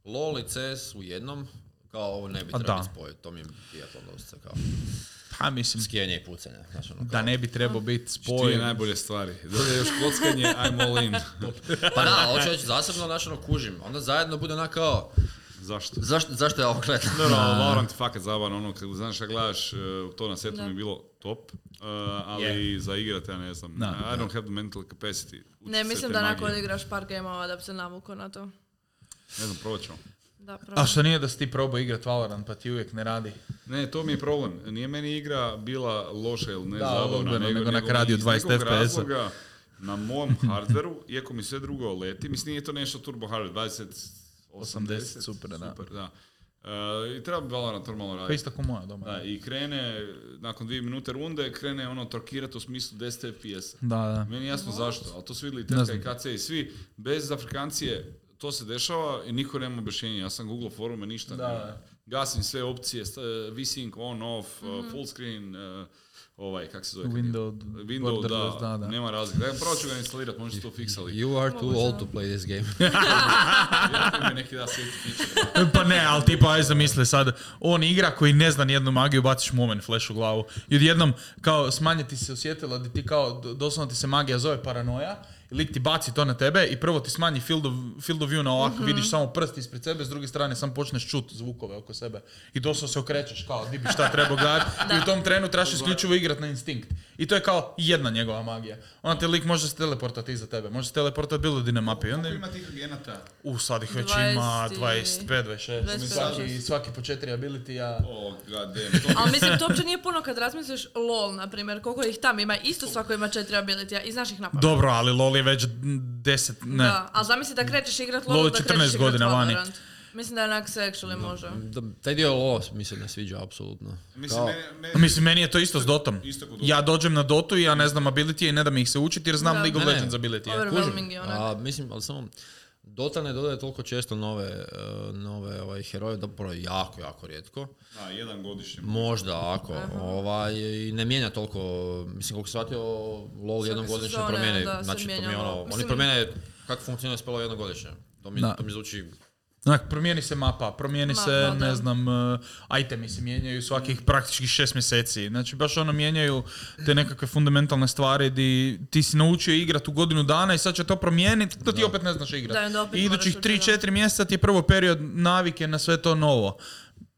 LOL i C S u jednom, kao ovo ne bi A trebalo da. spojiti. To mi je biatlon dosta kao Pa mislim, skijenje i pucanje. Znaš, ono, kao. da ne bi trebao biti Dvije spoj. najbolje stvari. Dođe još kockanje, I'm all in. Pa da, hoću reći, zasebno znaš, ono, kužim. Onda zajedno bude onak kao, Zašto? zašto, zašto ja ovo gledam? Dobro, Valorant je fakat zabavno, ono, kad znaš šta gledaš, uh, to na setu Da. mi je bilo top, uh, ali za igrati, ja ne znam, Da, I don't have the mental capacity. učit Ne, se mislim te da magije. nakon odigraš par gameova da bi se navukao na to. Ne znam, probat ćemo. Da, A pravo. što nije da si ti probao igrat Valorant pa ti uvijek ne radi? Ne, to mi je problem. Nije meni igra bila loša ili ne Da, zabavna, odgledno, nego, nego nego onak radi u iz dvadeset nekog F P S-a. razloga na mom hardveru, iako mi sve drugo leti, mislim nije to nešto turbo hardware, dvadeset osamdeset, super, da. super, da. Uh, I treba bi Valorant normalno Pa raditi. isto ko moja doma. Da, i krene, nakon dvije minute runde, krene ono trokirati u smislu deset F P S-a. Da, da. Meni je jasno zašto, ali to su vidjeli Ne Tetka znam. i K C i svi, bez Afrikancije to se dešava i niko nema objašnjenja. Ja sam googlao forume, ništa. Da, ne. da. Gasim sve opcije, st- V-Sync, on, off, uh, full screen, uh, ovaj, kak se zove? kad je- Window, Window, borderless, da, da, da. nema razlike. Ja, prvo ću ga instalirati, možda ću to fiksali. You are too Moguće, old da. to play this game. Ja mi neki da sveti feature. Pa ne, ali tipa, aj zamisli sad, on igra koji ne zna nijednu magiju, baciš mu omen flash u glavu. I odjednom, kao, smanjiti se osjetila da ti kao, do- doslovno ti se magija zove paranoja, i lik ti baci to na tebe i prvo ti smanji field of, field of view na ovako, vidiš samo prst ispred sebe, s druge strane sam počneš čut zvukove oko sebe. I doslovno se okrećeš kao, di bi šta trebao gledati. I u tom trenu trebaš isključivo igrat na instinkt. I to je kao jedna njegova magija. Onda te lik može se teleportati iza tebe, može se teleportati bilo di na mapi. I onda Koliko im- ima tih agenata? U, sad ih već dvadeset ima i- dvadeset pet, dvadeset šest. dvadeset pet, Svaki, dvadeset šest. svaki po četiri ability-a. Oh, god damn. To Ali mislim, to uopće nije puno kad razmisliš LOL, na primjer, koliko ih tam ima, isto svako ima četiri ability i znaš ih napamet. Dobro, ali LoL je već deset, ne. Da, ali zamisli da krećeš igrat LOL, LoL je da krećeš četrnaest igrat godina vani. Valorant. Mislim da onak se actually može. Da, taj dio lo mi se ne sviđa, apsolutno. Mislim, Kao- meni, meni, Mislim, meni je to isto s Dotom. Isto kod Dota. Ja dođem na Dotu i ja ne znam ability i ne da mi ih se učiti jer znam Da. League of Ne, ne. Legends ability. Overwhelming je onak. A, mislim, ali samo Dota ne dodaje toliko često nove, uh, nove ovaj, heroje, dobro, jako, jako rijetko. Da, jedan godišnji. Možda, ako. Ovaj, I ne mijenja toliko, mislim, koliko se shvatio, LoL jednom Svake godišnje sezone, promijene. da, se Znači, to mi je mijenja ono, LoL. oni Mislim- promijene kako funkcionira spelo jednom godišnje. To mi, Da. to mi zvuči... Onak, promijeni se mapa, promijeni Mapa, se, da. ne znam, uh, itemi se mijenjaju svakih praktički šest mjeseci. Znači, baš ono mijenjaju te nekakve fundamentalne stvari di ti si naučio igrat u godinu dana i sad će to promijeniti, to ti opet ne znaš Da, igrat. i onda opet I idućih moraš tri učiti, da. četiri mjeseca ti je prvo period navike na sve to novo.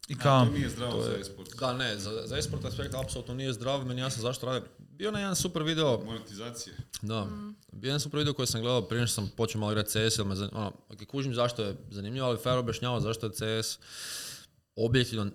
I kao, To nije zdravo za esport. Da, ne, za, za esport aspekt apsolutno nije zdrav, meni jasno zašto radim. Bio na jedan super video, Monetizacije. da, bio jedan super video koji sam gledao prije što sam počeo malo igrati C S, jer me zan... ono, ok, kužim zašto je zanimljivo, ali fair objašnjava zašto je C S objektivno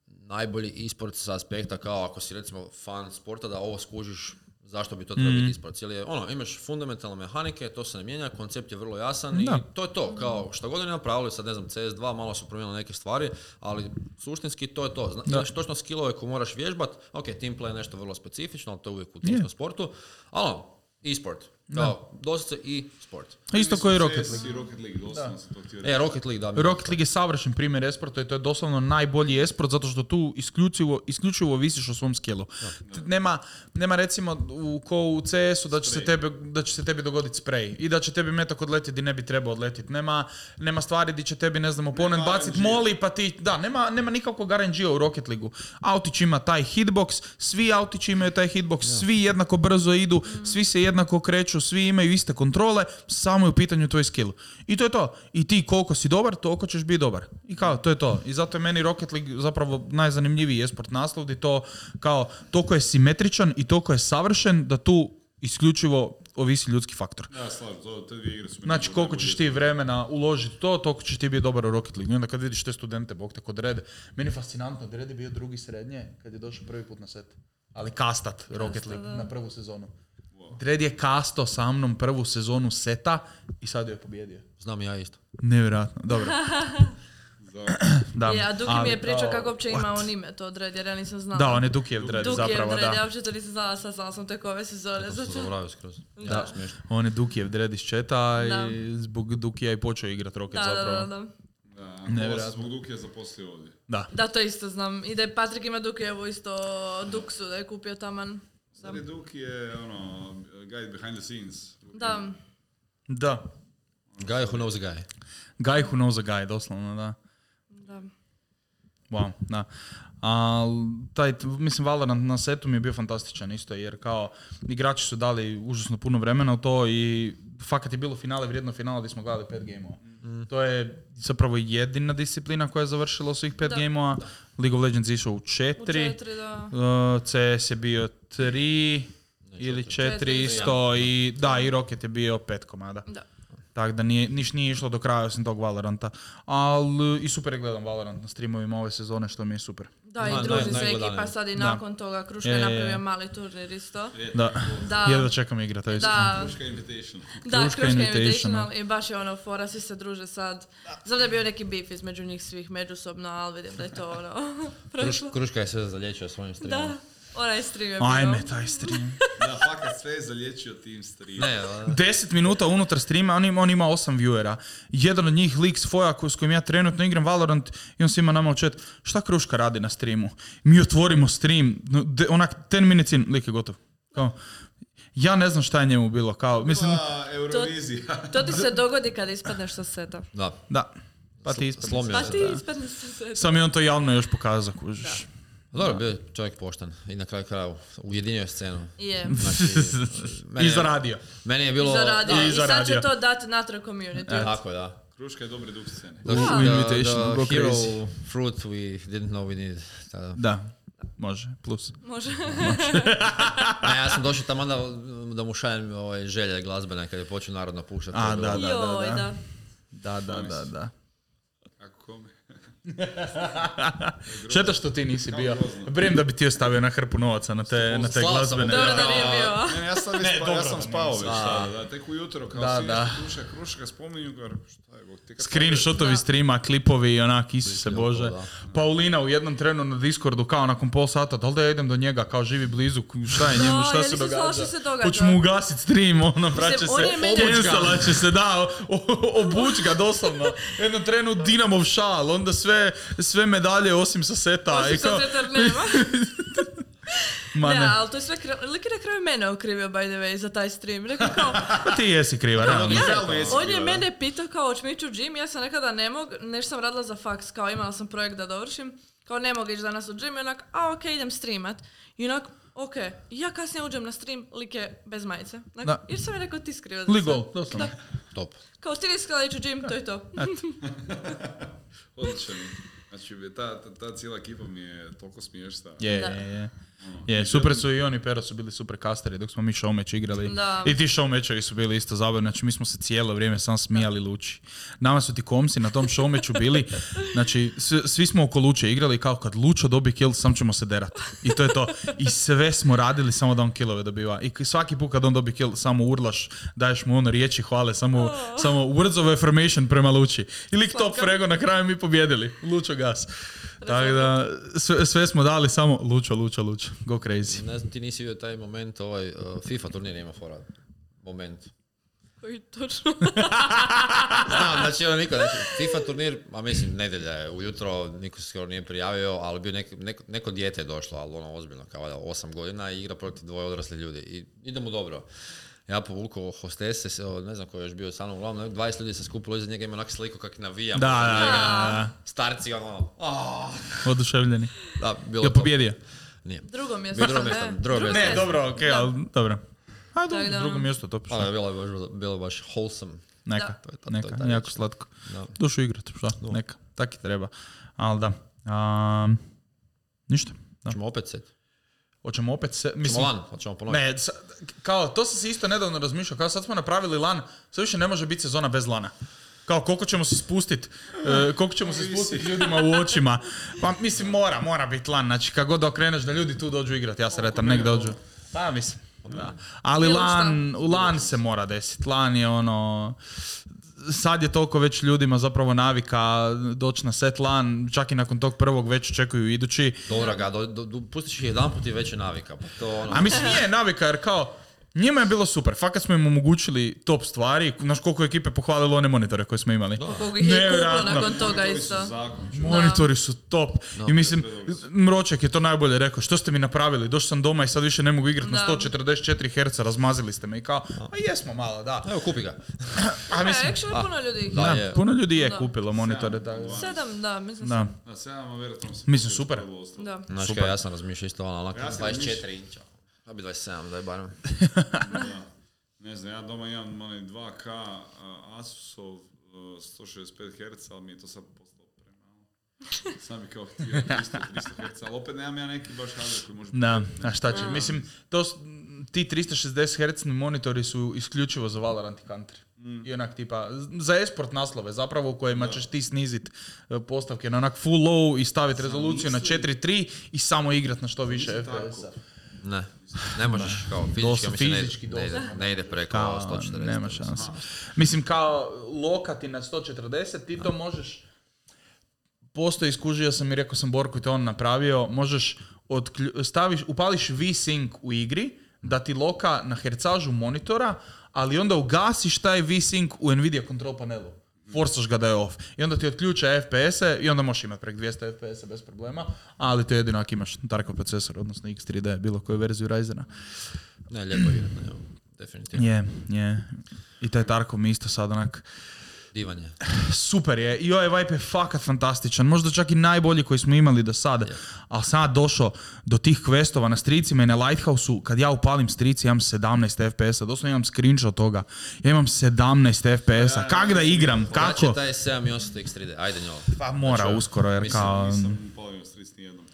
najbolji e-sport sa aspekta kao ako si recimo fan sporta da ovo skužiš zašto bi to trebalo biti e-sport. Cijeli je, ono, imaš fundamentalne mehanike, to se ne mijenja, koncept je vrlo jasan Da. i to je to. Kao šta god oni napravili, sad ne znam, C S dva, malo su promijenili neke stvari, ali suštinski to je to. Zna, Da. imaš točno skillove koje moraš vježbat, ok, team play je nešto vrlo specifično, ali to je uvijek u timskom sportu, ali ono, e-sport. Kao, doslovce e-sport. isto koji i Rocket C S League. I Rocket League, doslovno sam to htio E, reći. Rocket League, da. mi- Rocket League je savršen primjer esporta i to je doslovno najbolji esport zato što tu isključivo, isključivo visiš o svom skillu. T- Nema, nema recimo u, ko u C S-u da će, se tebe, da će se tebi dogoditi spray i da će tebi metak odletiti di ne bi trebao odletiti. Nema, nema stvari di će tebi, ne znam, oponent Nema bacit R N G-a. moli pa ti... Da, nema, nema nikakvog R N G-a u Rocket League-u. Autić ima taj hitbox, svi autići imaju taj hitbox, svi jednako brzo idu, svi se jednako kreću, svi imaju iste kontrole, samo je u pitanju tvoj skill. I to je to. I ti koliko si dobar, toliko ćeš biti dobar. I kao, to je to. I zato je meni Rocket League zapravo najzanimljiviji esport naslov, gdje to kao, toliko je simetričan i toliko je savršen da tu isključivo ovisi ljudski faktor. Da, slažem, to, te dvije igre su mi Znači, najbolje- koliko ćeš ti najbolje. vremena uložiti to, toliko ćeš ti biti dobar u Rocket League. I onda kad vidiš te studente, bog te kod Rede, meni je fascinantno, da Red je bio drugi srednje kad je došao prvi put na set. Ali kastat Rocket League da. na prvu sezonu. Dredd je kasto sa mnom prvu sezonu seta i sad je pobjedio. Znam i ja isto. Nevjerojatno, dobro. Da. Je, a Duki mi Ali- je pričao o, kako uopće ima what? on ime to Dredd, jer ja nisam znala. Da, on je Dukijev Dredd Dukijev zapravo, Dredd, ja da. uopće to nisam znala, sad znala sam tek ove sezone. To sam zato- zaboravio skroz. Da. Smiješno. On je Dukijev Dredd iz četa Da. i zbog Dukija i počeo igrat Rocket Da, da, zapravo. da, da. Da, ovo Nevjerojatno. se zbog Dukija zaposlio ovdje. Da. Da, to isto znam. I da je Patrik ima Dukijevu isto Duksu, da je kupio taman. Sad je Duki je, ono, guy behind the scenes. Da, Da. Guy who knows a guy. Guy who knows a guy, doslovno, da. da. Wow, da. Al, taj, mislim, Valorant na setu mi je bio fantastičan isto, jer kao igrači su dali užasno puno vremena u to i fakat je bilo finale, vrijedno finala gdje smo gledali pet gameova. To je zapravo jedina disciplina koja je završila svih pet Da. gameova. League of Legends je išao u U četiri, četiri, da. uh, C S je bio tri ili četiri Četiri, isto i da, i Rocket je bio pet komada. Da. Tako da nije, niš nije išlo do kraja osim tog Valoranta. Ali i super je gledam Valorant na streamovima ove sezone, što mi je super. Da, Naj- i druži naj- se najgledanije. ekipa sad i Da. nakon toga. Kruška je E, napravio mali turnir isto. Da, Da. jedva čekam igrat, to je iskreno. Da, Kruška Invitation. da, Kruška Kruška Invitational. Invitational i baš je ono fora, svi se druže sad. Znam da je bio neki beef između njih svih međusobno, ali vidim da je to ono Kruš, prošlo. Kruška je sve zalječio svojim streamom. Da, onaj stream je bio. Ajme, taj stream. Da, fakat sve je zalječio tim stream. Ne, da. Deset minuta unutar streama, on ima, on ima osam viewera. Jedan od njih, lik s Foja, ko- s kojim ja trenutno igram Valorant, i on svima nama u chat, šta Kruška radi na streamu? Mi otvorimo stream, no, de- onak, ten minutes in, lik je gotov. Kao, ja ne znam šta je njemu bilo, kao, mislim, Bila Eurovizija. To ti se dogodi kada ispadneš sa seta. Da. da, pa ti ispadne. Slomio Pa se, ti da. ispadneš sa seta. Sam je on to javno još pokazao, kužiš. Dobro, bio je čovjek pošten i na kraju kraja ujedinio je scenu. Je. Znači, meni I je- zaradio. Meni je I bilo... zaradio. da, I I sad zaradio. će to dati natrag community. Tako, da. Kruška je dobri duh scene. The, U the, Invitational, go the hero crazy. fruit we didn't know we needed. Tada. Da, može, plus. Može. Ne, ja sam došao tamo da, da mu šaljem ovaj, želje glazbene kad je počeo narodno puštati. A, To je da, bilo- da. Joj, da. Da, da, da, da. Kako kome? Šteta što ti nisi bio. Brijem da bi ti ostavio na hrpu novaca na te, na te glazbene. Dobro da nije bio. Ne, ja sam, Ne, spa, dobro, ja sam spao već, da. da, da, tek ujutro, kao Da, svi da. nešto kruška, kruška, spominju, kao, šta je, bog, ti kad Screenshotovi streama, klipovi i onak, Isuse Bože. da. Paulina u jednom trenu na Discordu kao nakon pol sata, da li da ja idem do njega, kao živi blizu, šta je njemu, Da, šta ja se nisam znala događa? što se događa. Hoću mu ugasit stream, ono, vraća on se, je meni- cancelat će se, da, o- obuć ga doslovno. U jednom trenu Dinamov šal, onda sve, sve medalje osim sa seta. Osim i kao, sa Zetar nema. ma Ne, ne, ali to je sve kra- lik je na kraju mene okrivio, by the way, za taj stream. Rekao kao, ti jesi kriva, realno. ja, Realno jesi on je kriva, da. mene pitao kao, hoću mi ići u gym, ja sam nekada ne mogu, nešto sam radila za faks, kao imala sam projekt da dovršim, kao ne mogu ići danas u gym, i onak, a ok, idem streamat. I onak, ok, i ja kasnije uđem na stream, lik je bez majice. Onak, Da. jer sam je rekao, ti skriva za Legal, sve. doslovno. Da. Top. Kao ti nisi htjela ići u gym, to je to. Odličan. Znači, ta, ta, ta cijela ekipa mi je toliko smiješna. Je, Da. je, je. Je, super su i oni i Pero su bili super kasteri dok smo mi show match igrali. Da. I ti show matchovi su bili isto zabavni, znači mi smo se cijelo vrijeme sam smijali Luči. Nama su ti komsi na tom show matchu bili, znači svi, svi smo oko Luče igrali kao kad Lučo dobi kill, sam ćemo se derat. I to je to. I sve smo radili samo da on killove dobiva. I svaki put kad on dobi kill, samo urlaš, daješ mu ono riječi hvale, samo, Oh. samo words of affirmation prema Luči. I lik top Slatka. frego, na kraju mi pobjedili. Lučo gas. Tako da, sve, sve smo dali samo Lučo, Lučo, Lučo. Go crazy. Ne znam, ti nisi vidio taj moment, ovaj uh, FIFA turnir ima fora. Moment. Koji točno. Znam, znači ono niko, znači, FIFA turnir, a mislim, nedjelja je, ujutro niko se skoro nije prijavio, ali bio nek, neko, neko dijete je došlo, ali ono ozbiljno, kao valjda osam godina i igra protiv dvoje odrasli ljudi. I ide mu dobro. Ja povukao hostese, se, o, ne znam ko je još bio sa mnom, uglavnom dvadeset ljudi se skupilo iza njega, ima onak sliku kak navija. Da, da, da, Starci, ono, da. Oduševljeni. da, bilo Je top. pobjedio? Nije. Drugo mjesto. Bio drugo ne. mjesto, drugo mjesto. Ne, mjesto. dobro, okej, Da. ali dobro. A dobro, Tako da, drugo ono. mjesto, to Ali šta? je bilo, je baš, bilo je baš wholesome. Neka, Da. To je to, to je neka, taj jako način. slatko. Da. Dušu igrat, šta? Neka, tak i treba. Ali da. Um, ništa. Da. Ćemo opet set. Hoćemo opet se... Ćemo Mislim, lan, hoćemo ponoviti. ne, sa- kao, to sam se isto nedavno razmišljao, kao sad smo napravili lan, sad više ne može biti sezona bez lana. Kao koliko ćemo se spustit, e, koliko ćemo se spustit ljudima u očima. Pa mislim mora, mora biti lan, znači kad god okreneš da ljudi tu dođu igrati, ja se retam, nek dođu. Pa mislim, da. Ali Bilo lan, u lan se mora desiti, lan je ono... Sad je toliko već ljudima zapravo navika doći na set lan, čak i nakon tog prvog već čekuju idući. Dobro ga, do, do, do, pustiš ih jedan put i već je navika. Pa to ono... A mislim nije navika jer kao, njima je bilo super, fakat smo im omogućili top stvari, znaš koliko je ekipe pohvalilo one monitore koje smo imali. Koliko ih je kupilo Nevjerojatno. nakon toga Monitori su isto. zakon. Monitori su top. I mislim, Mroček je to najbolje rekao, što ste mi napravili, došao sam doma i sad više ne mogu igrati na Da. sto četrdeset četiri herca, razmazili ste me i kao, a jesmo malo, da. Evo, kupi ga. A E, mislim, actually puno ljudi ih Da, da, je. puno ljudi je Da. kupilo monitore. Da. Sedam, da, mislim Da. Da, sedam, a vjerojatno se... Mislim, super. Da. Znaš Super. kaj, ja sam razmišljao isto ono, onak Ja sam dvadeset četiri inča. Da bi dvadeset sedam, daj barem. Da. Ne znam, ja doma imam onaj dva K uh, Asusov uh, sto šezdeset pet herca, ali mi je to sad postalo premalo. Sam bi kao htio tristo, tristo herca, ali opet nemam ja neki baš hardware koji može... Da, pokrenuti, a šta će? Mm. Mislim, to, s- ti tristo šezdeset hercni monitori su isključivo za Valorant i Country. I onak tipa, za esport naslove zapravo u kojima ćeš ti snizit e, postavke na onak full low i staviti rezoluciju na mislim- četiri tri i samo igrat na što više Mislim F P S-a. tako. Ne, ne možeš, kao fizički, Dosta ja mislim, ne, fizički, ne, ide, dosta. ne ide preko Kao, sto četrdeset. nema mislim. šanse. Mislim, kao lokati na sto četrdeset, ti to možeš, postoji, skužio sam i rekao sam Borku i to on napravio, možeš otklju, staviš, upališ V-Sync u igri, da ti loka na hercažu monitora, ali onda ugasiš taj V-Sync u Nvidia control panelu. Forsaš ga da je off. I onda ti otključa F P S-e i onda možeš imati prek dvjesto F P S-a bez problema, ali to jedino ako imaš Tarkov procesor, odnosno X tri D, bilo koju verziju Ryzena. Ne, lijepo igra, ne, definitivno. Je, je. I taj Tarkov mi isto sad onak Divan je. super je. I ovaj vibe je fakat fantastičan. Možda čak i najbolji koji smo imali do sada. Je. Ali sad došao do tih questova na stricima i na Lighthouse-u. Kad ja upalim strici imam sedamnaest F P S-a. Doslovno imam screenshot toga. Ja imam sedamnaest F P S-a. Kak da igram? Kako? Znači taj sedam i osam X tri D, ajde njolo. Pa mora Znači, uskoro jer mislim, kao... Nisam upalio stric nijednom.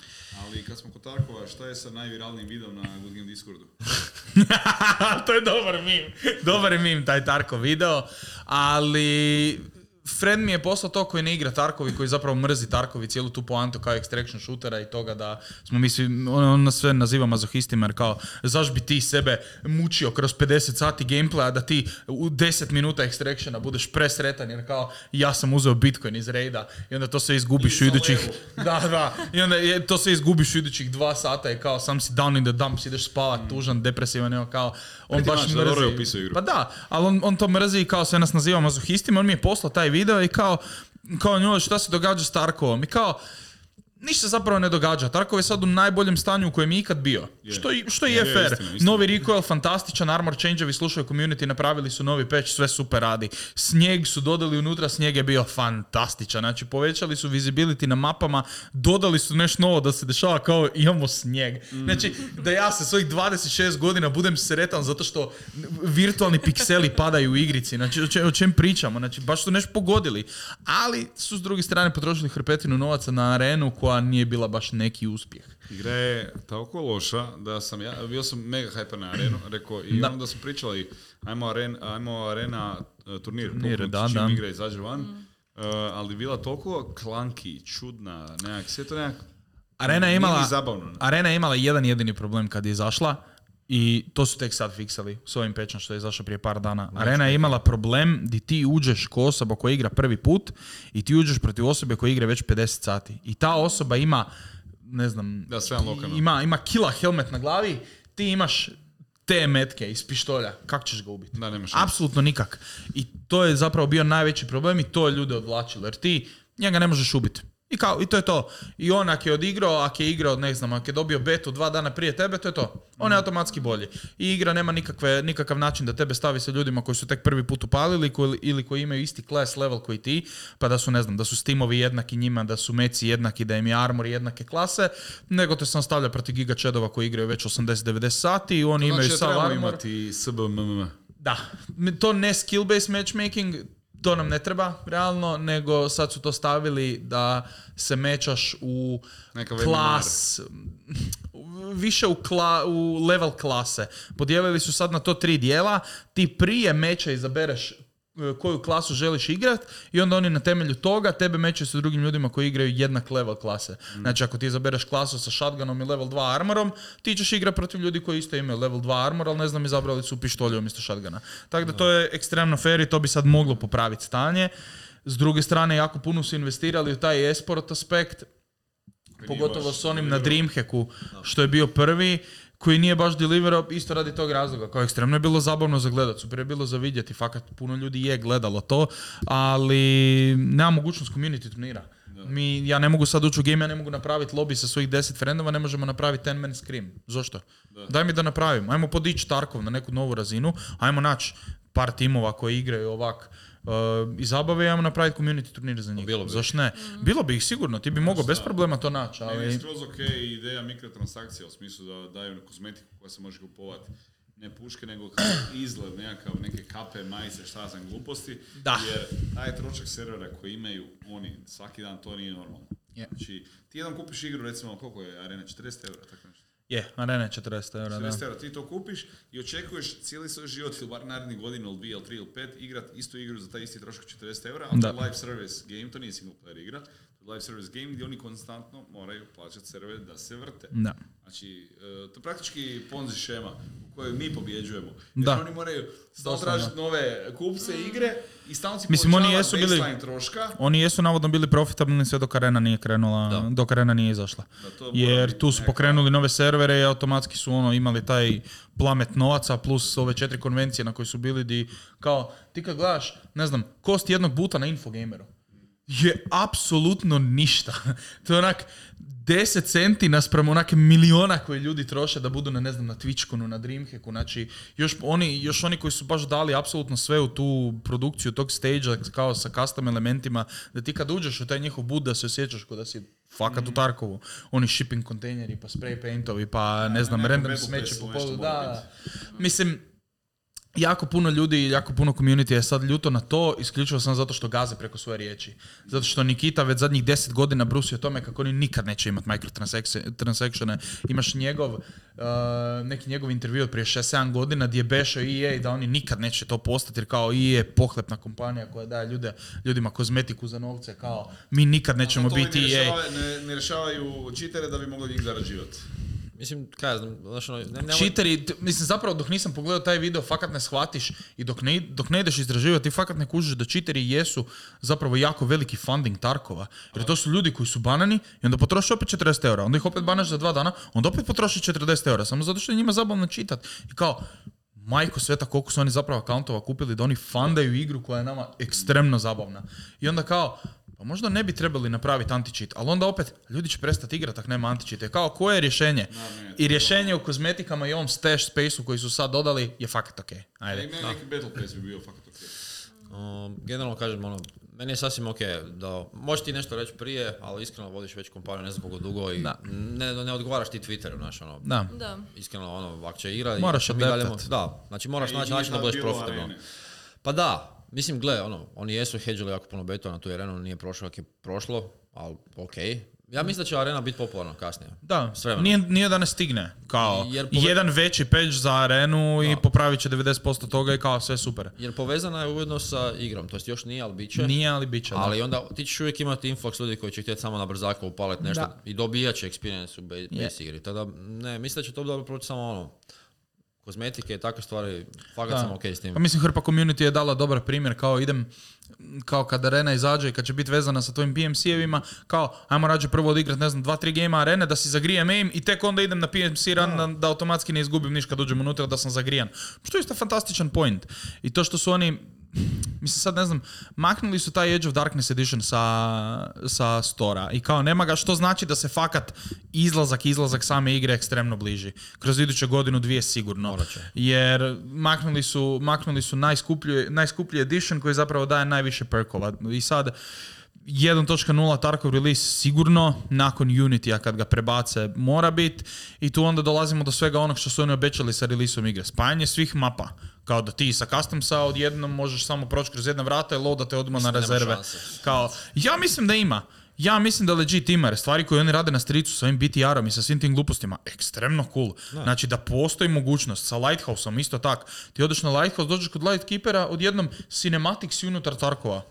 Ali kad smo kod Tarkova, šta je sa najviralnijim videom na Good Game Discordu? To je dobar meme. Dobar je meme taj Tarkov video. Ali friend mi je poslao to koji ne igra Tarkovi, koji zapravo mrzi Tarkovi cijelu tu poantu kao extraction shootera i toga da smo mi svi, on, on nas sve naziva mazohistima jer kao zaš bi ti sebe mučio kroz pedeset sati gameplaya da ti u deset minuta extractiona budeš presretan jer kao ja sam uzeo Bitcoin iz raida i onda to sve izgubiš u idućih da, da, i onda je, to sve izgubiš u idućih dva sata i kao sam si down in the dumps, ideš spavat mm. tužan, depresivan, evo kao on Preti baš mač, mrzi. Pa da, ali on, on to mrzi i kao sve nas naziva mazohistima, on mi je poslao taj video i kao, kao njoj šta se događa s Tarkovom i kao ništa zapravo ne događa. Tarkov je sad u najboljem stanju u kojem je ikad bio. Yeah. Što, što je yeah, fair. Istina, istina. Novi recoil, fantastičan, armor change-ovi, slušaju community, napravili su novi patch, sve super radi. Snijeg su dodali unutra, snijeg je bio fantastičan. Znači, povećali su visibility na mapama, dodali su nešto novo da se dešava kao imamo snijeg. Mm. Znači, da ja sa svojih dvadeset šest godina budem sretan zato što virtualni pikseli padaju u igrici. Znači, o, če, o čem pričamo? Znači, baš su nešto pogodili. Ali su s druge strane potrošili hrpetinu novaca na arenu koja nije bila baš neki uspjeh. Igra je toliko loša da sam ja, bio sam mega hyper na arenu, rekao, i da. Onda smo pričali, ajmo, aren, ajmo arena uh, turnir, turnir da, čim da. Igra izađe van, mm. uh, ali bila toliko klanki, čudna, nekak, sve to nekak, arena je imala, zabavno. Arena je imala jedan jedini problem kad je izašla, i to su tek sad fiksali s ovim patchom što je izašao prije par dana. Arena je imala problem di ti uđeš ko osoba koja igra prvi put i ti uđeš protiv osobe koja igra već pedeset sati. I ta osoba ima, ne znam, da, sve ima, ima kila helmet na glavi, ti imaš te metke iz pištolja. Kako ćeš ga ubiti? Da, nemaš. Apsolutno nikak. I to je zapravo bio najveći problem i to je ljude odvlačilo. Jer ti njega ne možeš ubiti. I, kao, I to je to. I on ako je odigrao, ako je igrao, ne znam, ako je dobio betu dva dana prije tebe, to je to. On je automatski bolji. I igra nema nikakve, nikakav način da tebe stavi sa ljudima koji su tek prvi put upalili koji, ili koji imaju isti class level koji ti, pa da su, ne znam, da su steamovi jednaki njima, da su meci jednaki, da im je armor jednake klase, nego te sam stavlja protiv Giga Chadova koji igraju već osamdeset devedeset sati i oni to imaju znači, sav armor. imati S B M M. Da. To ne skill-based matchmaking, to nam ne treba, realno, nego sad su to stavili da se mečaš u neka klas, više u, kla, u level klase. Podijelili su sad na to tri dijela, ti prije meča izabereš koju klasu želiš igrat i onda oni na temelju toga tebe mećaju sa drugim ljudima koji igraju jednak level klase. Mm. Znači ako ti izabereš klasu sa shotgunom i level dva armorom, ti ćeš igrati protiv ljudi koji isto imaju level dva armor, ali ne znam, izabrali su pištolje umjesto shotguna. Tako da to je ekstremno fair i to bi sad moglo popraviti stanje. S druge strane, jako puno su investirali u taj esport aspekt, pogotovo s onim na Dreamhacku, što je bio prvi, koji nije baš deliverao isto radi tog razloga. Kao ekstremno je bilo zabavno za gledat, super je bilo za vidjeti, fakat puno ljudi je gledalo to, ali nema mogućnost community turnira. Mi, ja ne mogu sad ući u game, ja ne mogu napraviti lobby sa svojih deset frendova, ne možemo napraviti ten man scream. Zašto? Da. Daj mi da napravim, ajmo podići Tarkov na neku novu razinu, ajmo naći par timova koji igraju ovak Uh, i zabave, ajmo napraviti community turnir za njih. Zašto ne? Mm-hmm. Bilo bi ih sigurno, ti bi mogao bez problema to naći. Ali... Meni je skroz ok ideja mikrotransakcija u smislu da daju kozmetiku koja se može kupovati. Ne puške, nego kao izgled, nekakav, neke kape, majice, šta sam gluposti. Da. Jer taj trošak servera koji imaju oni svaki dan, to nije normalno. Yeah. Znači, ti jedan kupiš igru, recimo, koliko je Arena, četrdeset eura, tako nešto. Je, yeah, Arena je četrdeset eura, četrdeset eura, ti to kupiš i očekuješ cijeli svoj život ili bar narednih godinu ili dvije ili tri ili pet igrat istu igru za taj isti trošak četrdeset eura, ali to je live service game, to nije single player igra, to je live service game gdje oni konstantno moraju plaćati servere da se vrte. Da. Znači, to je praktički Ponzi šema u kojoj mi pobjeđujemo. Jer da. Oni moraju stalno tražiti nove kupce igre i stalno si povećava baseline troška. Oni jesu navodno bili profitabilni sve dok Arena nije krenula, da. dok Arena nije izašla. Da, jer tu su neka... pokrenuli nove servere i automatski su ono imali taj plamet novaca plus ove četiri konvencije na koji su bili di, kao, ti kad gledaš, ne znam, kost jednog buta na Infogameru je apsolutno ništa. To je onak deset centi naspram onake miliona koje ljudi troše da budu na, ne znam, na Twitchkonu, na Dreamhacku. Znači, još oni, još oni koji su baš dali apsolutno sve u tu produkciju tog stage-a kao sa custom elementima, da ti kad uđeš u taj njihov bud da se osjećaš kao da si fakat mm. u Tarkovu. Oni shipping kontejneri, pa spray paintovi, pa ne znam, random smeće po polu. Da, da. Mislim, jako puno ljudi, jako puno community je sad ljuto na to, isključivo sam zato što gaze preko svoje riječi. Zato što Nikita već zadnjih deset godina brusi o tome kako oni nikad neće imati microtransactione. Imaš njegov, uh, neki njegov intervju od prije šest sedam godina gdje je bešao E A da oni nikad neće to postati jer kao E A je pohlepna kompanija koja daje ljude, ljudima kozmetiku za novce, kao mi nikad nećemo biti ne E A. Rješava, ne, ne rješavaju cheatere da bi mogli njih zarađivati. Mislim, kaj ja znam, znaš ono... Ne, Cheateri, mislim zapravo dok nisam pogledao taj video fakat ne shvatiš i dok ne, dok ne ideš istraživati ti fakat ne kužiš da cheateri jesu zapravo jako veliki funding Tarkova. Jer to su ljudi koji su banani i onda potroši opet četrdeset eura, onda ih opet banaš za dva dana, onda opet potroši četrdeset eura, samo zato što je njima zabavno čitat. I kao, majko sveta koliko su oni zapravo akauntova kupili da oni fundaju igru koja je nama ekstremno zabavna. I onda kao, pa možda ne bi trebali napraviti anti-cheat, ali onda opet, ljudi će prestati igrati ako nema anti-cheat. Kao, koje je rješenje? No, ne, I rješenje u kozmetikama i ovom stash space-u koji su sad dodali je fakat okej. Okay. Ajde. Ne, neki battle pass bi bio fakat okej. Okay. Um, generalno kažem, ono, meni je sasvim okej okay da, možeš ti nešto reći prije, ali iskreno vodiš već kompaniju ne znam koliko dugo i ne, ne odgovaraš ti Twitteru, znaš, ono. Da. Da. Iskreno, ono, ako će igrati... Moraš adaptat. Da, znači moraš naći način da budeš profitabilan. Pa da. Mislim, gle, ono, oni jesu hedžili jako puno betova na tu arenu, nije prošlo kako je prošlo, ali okej. Okay. Ja mislim da će arena biti popularna kasnije. Da, nije, nije da ne stigne. Kao, pove... jedan veći patch za arenu da. I popravit će devedeset posto toga i kao sve super. Jer povezana je ujedno sa igrom, to jest još nije, ali bit će. Nije, ali bit će. Ali da. Onda ti ćeš uvijek imati influx ljudi koji će htjeti samo na brzako upaliti nešto da. I dobijat će experience u base yeah. igri. Tada, ne, mislim da će to dobro proći samo ono. Kozmetike i takve stvari, fakat sam okej okay s tim. Pa mislim, hrpa community je dala dobar primjer, kao idem, kao kad arena izađe i kad će biti vezana sa tvojim P M C-evima, kao ajmo rađe prvo odigrat, ne znam, dva, tri gejma arene, da si zagrijem aim i tek onda idem na P M C run da, da automatski ne izgubim niš kad uđem unutra da sam zagrijan. Što je isto fantastičan point. I to što su oni, mislim sad ne znam, maknuli su taj Edge of Darkness Edition sa, sa Stora i kao nema ga, što znači da se fakat izlazak, izlazak same igre ekstremno bliži. Kroz iduću godinu, dvije sigurno. Jer maknuli su, maknuli su najskuplji, najskuplji edition koji zapravo daje najviše perkova. I sad jedan točka nula Tarkov release sigurno, nakon Unity-a kad ga prebace mora biti i tu onda dolazimo do svega onog što su oni obećali sa releaseom igre. Spajanje svih mapa. Kao da ti sa customsa odjednom možeš samo proći kroz jedna vrata i loadate odmah na rezerve. Kao, ja mislim da ima. Ja mislim da legit ima, jer stvari koje oni rade na stricu sa ovim B T R-om i sa svim tim glupostima, ekstremno cool. Da. Znači da postoji mogućnost sa Lighthouseom, isto tak. Ti odeš na Lighthouse, dođeš kod Lightkeepera, odjednom cinematic si unutar Tarkova.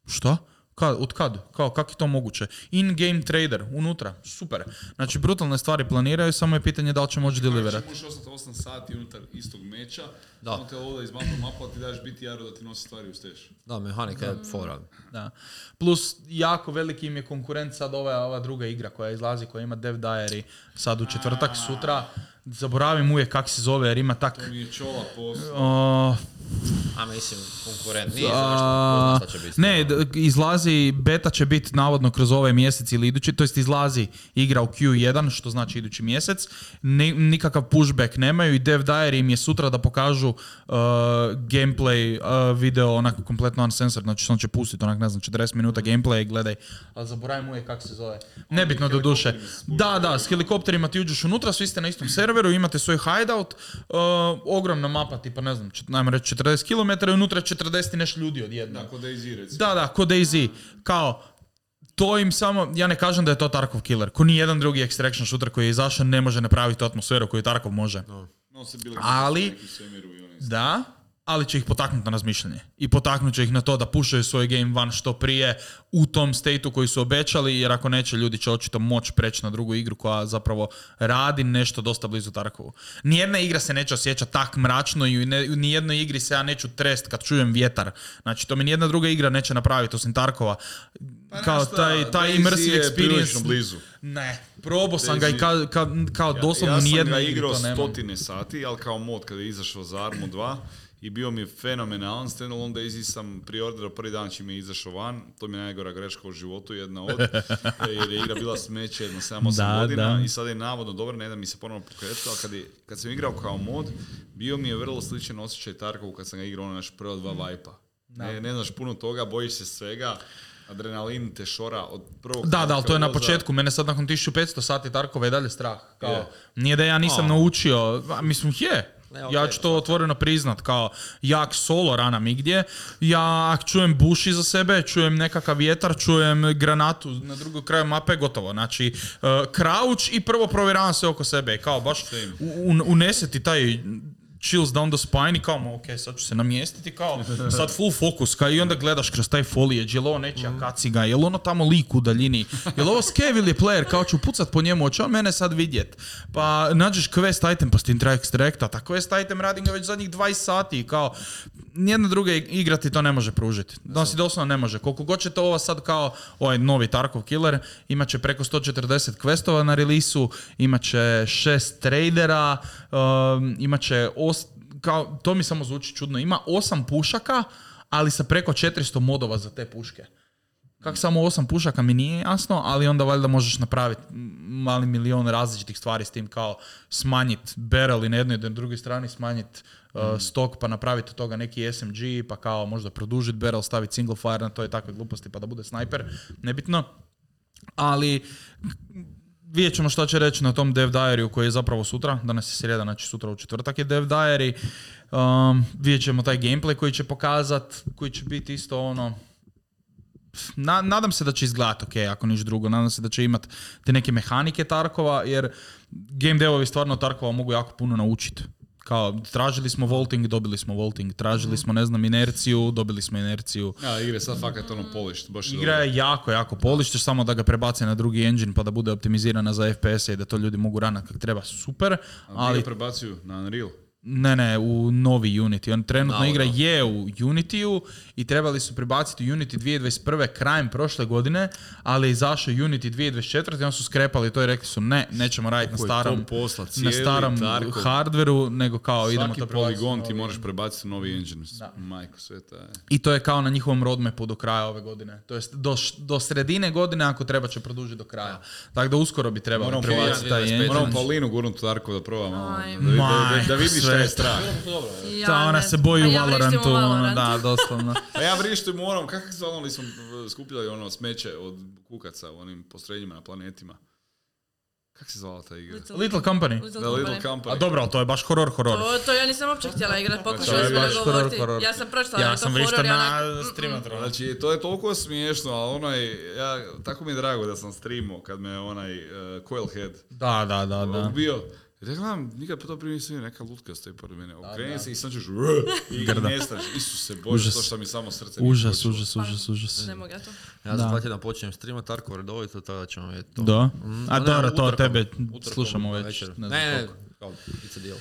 Šta? Kad, od kad? Kao, kako je to moguće? In-game trader, unutra, super. Znači, brutalne stvari planiraju, samo je pitanje da li će moći deliverati. Možeš ostati osam sati unutar istog meča, da. Samo te ovdje iz mapa mapa, ti daš B T R-u da ti nosi stvari u steš. Da, mehanika je fora. Da. Plus, jako veliki im je konkurent sad ova, ova druga igra koja izlazi, koja ima Dev Diary sad u četvrtak, sutra. Zaboravim uvijek kak se zove, jer ima tak... To mi je čola poslao. Uh, A mislim, konkurent nije za nešto, će biti. Ne, d- izlazi, beta će biti navodno kroz ovaj mjesec ili idući, to jest izlazi igra u Q jedan, što znači idući mjesec. Ni, nikakav pushback nemaju i Dev Diary im je sutra da pokažu uh, gameplay uh, video onako kompletno uncensored, znači on će pustiti onak, ne znam, četrdeset minuta gameplay, gledaj. Ali zaboravim uvijek kako se zove. Nebitno do duše. Da, da, s helikopterima ti uđeš unutra, svi ste na istom serveru, imate svoj hideout, uh, ogromna mapa, tipa ne znam, čet, najmo reći četrdeset kilometara i unutra četrdeset i nešto ljudi odjedno. Da, kod DayZ recimo. Da, da, kod DayZ. Kao, to im samo, ja ne kažem da je to Tarkov killer. Ko ni jedan drugi extraction shooter koji je izašao ne može napraviti tu atmosferu koju Tarkov može. No. No, se bili ali, da, ali će ih potaknuti na razmišljanje. I potaknut će ih na to da pušaju svoj game van što prije u tom stateu koji su obećali, jer ako neće, ljudi će očito moći preći na drugu igru koja zapravo radi nešto dosta blizu Tarkovu. Nijedna igra se neće osjećati tak mračno i u nijednoj igri se ja neću trest kad čujem vjetar. Znači, to mi nijedna druga igra neće napraviti osim Tarkova. Pa kao šta, taj, taj immersive experience. Blizu. Ne, probao sam ga i kao, kao, kao doslovno ja, nijedna igra to nema. Ja sam ga igrao stotine sati, ali kao mod kada je izašao za Armu dva i bio mi je fenomenalan. Standalone DayZ sam priorderao prvi dan čim je izašao van. To mi je najgora greška u životu, jedna od. Jer je igra bila smeće jedno sedam osam godina da. I sad je navodno dobro, ne da mi se ponovno pokretiti, ali kad, je, kad sam igrao kao mod, bio mi je vrlo sličan osjećaj Tarkovu kad sam ga igrao na naš prva dva Vipa. Ne, ne znaš puno toga, bojiš se svega. Adrenalin te šora od prvog... Da, da, ali to je na početku. Mene sad nakon tisuću petsto sati Tarkova je dalje strah. Kao, yeah. Nije da ja nisam oh. naučio, a, mislim, je. Ne, okay, ja ću to otvoreno priznat, kao jak solo rana migdje, ja čujem buš iza sebe, čujem nekakav vjetar, čujem granatu na drugom kraju mape, gotovo. Znači, uh, crouch i prvo provjeravam sve oko sebe, kao baš un, uneseti taj chills down the spine i kao, ok, sad ću se namjestiti, kao, sad full focus, kao, i onda gledaš kroz taj foliage, je li ovo nečija kaciga, je li ono tamo lik u daljini, je li ovo scav ili player, kao ću pucat po njemu, hoće on mene sad vidjet, pa nađeš quest item pa s tim treba ekstrakta, ta quest item radim ga već zadnjih dvadeset sati, kao, nijedna druga igra ti to ne može pružiti, da si doslovno ne može, koliko god će to ova sad kao, ovaj novi Tarkov killer, imat će preko sto četrdeset questova na release-u, imat će šest tradera, um, imat će kao, to mi samo zvuči čudno, ima osam pušaka, ali sa preko četiristo modova za te puške. Kako samo osam pušaka mi nije jasno, ali onda valjda možeš napraviti mali milion različitih stvari s tim, kao smanjiti barrel i na jednoj i na drugoj strani, smanjiti uh, mm. stok pa napraviti od toga neki S M G, pa kao možda produžiti barrel, staviti single fire na to i takve gluposti pa da bude snajper, nebitno. Ali vidjet ćemo što će reći na tom Dev Diary-u koji je zapravo sutra, danas je srijeda, znači sutra u četvrtak je Dev Diary. Um, vidjet ćemo taj gameplay koji će pokazat, koji će biti isto ono... Na, nadam se da će izgledati ok, ako niš drugo, nadam se da će imat te neke mehanike Tarkova, jer game devovi stvarno Tarkova mogu jako puno naučiti. Kao, tražili smo vaulting, dobili smo vaulting, tražili smo, ne znam, inerciju, dobili smo inerciju. Ja, igre sad fakat ono polished, baš je Igra je jako, jako polished, samo da ga prebace na drugi engine pa da bude optimizirana za F P S i da to ljudi mogu ranati kako treba, super. Ali ga prebacuju na Unreal? Ne, ne, u novi Unity. On trenutno no, igra no. je u Unity-u i trebali su prebaciti Unity dvije tisuće dvadeset prve krajem prošle godine, ali je izašao Unity dvije tisuće dvadeset četvrte i on su skrepali to i rekli su ne, nećemo raditi na starom, posla, na starom Tarkov. hardveru, nego kao Svaki idemo to prebaciti. poligon novi... ti moraš prebaciti novi engine. Majko sveta je. I to je kao na njihovom roadmapu do kraja ove godine. To jest do, do sredine godine, ako treba će produžiti do kraja. Tako da uskoro bi trebalo prebaciti taj engine. Moramo Paulinu gurnuti Tarkov da probamo. Aj, Da, da, da, da vidi šta je strah. Ja, Ta, ona ne. se boji A u ja vrištim Valorantu, u ono, Valorantu. da, doslovno. A ja vrištim moram, kako se ono li smo skupljali ono smeće od kukaca u onim postrojenjima na planetima? Kako se zvala ta igra? Little, Little Company. Little Da, Company. Little Company. A dobro, ali to je baš horor, horor. To, to ja nisam uopće htjela igrati, To pokušali je smo baš dogovoriti. horor, horor. Ja sam pročitala Ja da je to sam horor vrištao i na onak... streamatru. Znači, to je toliko smiješno, ali onaj, ja, tako mi je drago da sam streamao kad me onaj uh, Coilhead Da, da, da, da. ubio. I da gledam, nikad po to prije nisam vidio, neka lutka stoji pored mene. Okreni se i sam ćeš i Grda. nestaš. Isuse Bože, Užas. to što mi samo srce Užas, nije počelo. užas, užas, užas. Ne mogu ja to. Ja Da. za dva tjedna počinjem streamat Tarkov redovito, tada ćemo vidjeti to. Da? Mm, A ne, dobro, to utorkom, tebe utorkom slušamo već. navečer. Ne Ne, znam ne, koliko. kao, it's a deal.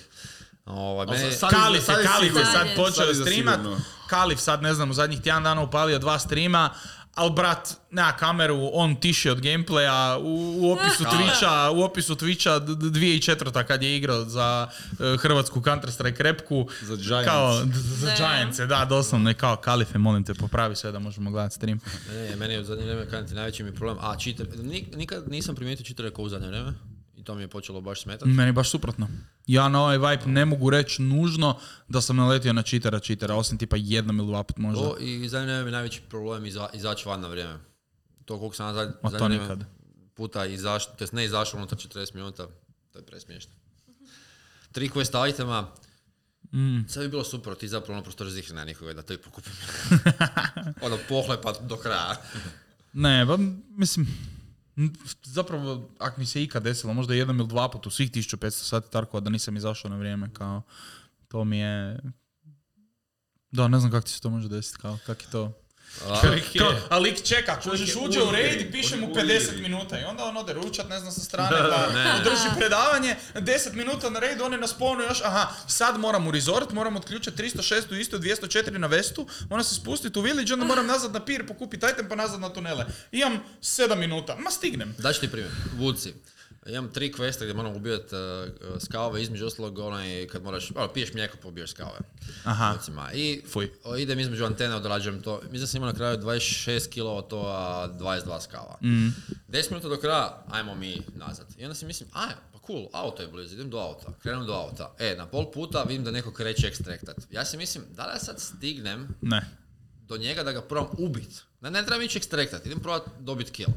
Ovaj, Ali meni- sad- Kalif je, sad je Kalif je sigurno. sad Sad je. počeo Sad je za streamat. sigurno. Kalif sad, ne znam, u zadnjih tjedan dana upalio dva streama, ali brat, nema kameru, on tiši od gameplaya, u, u opisu Twitcha, u opisu Twitcha d- d- dvije tisuće četvrta kad je igrao za uh, hrvatsku Counter-Strike repku. Za Giants. Kao, d- za Ne. Giants, da, doslovno je kao Kalife, molim te, popravi sve da možemo gledati stream. Ne, meni je u zadnje vrijeme kanti najveći mi problem. A, cheater, nik- nikad nisam primijetio cheatere kao u zadnje vrijeme. I to mi je počelo baš smetati. Meni baš suprotno. Ja na ovaj vibe ne mogu reći nužno da sam naletio na cheatera cheatera, osim tipa jednom ili dva put možda. To i zadnje vrijeme mi je najveći problem iza, izaći van na vrijeme. To koliko sam ja Ma zadnje to vrijeme nikad. puta izašao, to jest ne izašao unutar četrdeset minuta, to je presmiješno. Tri quest itema, Mm. sad bi bilo super, ti zapravo ono prostor zihrina nikoga da to i pokupim. ono pohlepa do kraja. Ne, ba, mislim, n- zapravo, ako mi se ikad desilo, možda jednom ili dva put u svih tisuću petsto sati Tarkova da nisam izašao na vrijeme, kao, to mi je... Da, ne znam kako ti se to može desiti, kao, kak je to... A, Kao, a lik čeka, kužiš je uđe u u raid igri, i piše on je mu u pedeset igri. minuta i onda on ode ručat, ne znam, sa strane, pa održi predavanje, deset minuta na raid, on je na spawnu još, aha, sad moram u resort, moram otključati tristo šest u isto, dvjesto četiri na vestu, moram se spustiti u village, onda moram nazad na pir, pokupiti item pa nazad na tunele. Imam sedam minuta, ma stignem. daći ti primjer, Woodsi. Imam tri questa gdje moram ubijati uh, skave, između ostalog onaj kad moraš, ono, piješ mlijeko pa ubiješ skave. Aha. Recima. I Fuj. o, idem između antene, odrađujem to. Mislim da sam imao na kraju dvadeset šest kilova to, a dvadeset dva skava. Mm. deset minuta do kraja, ajmo mi nazad. I onda si mislim, aj, pa cool, auto je blizu, idem do auta. Krenem do auta. E, na pol puta vidim da neko kreće ekstraktat. Ja si mislim, da li ja sad stignem Ne. do njega da ga probam ubit? Ne, ne trebam ići ekstraktat, idem probat dobit kill.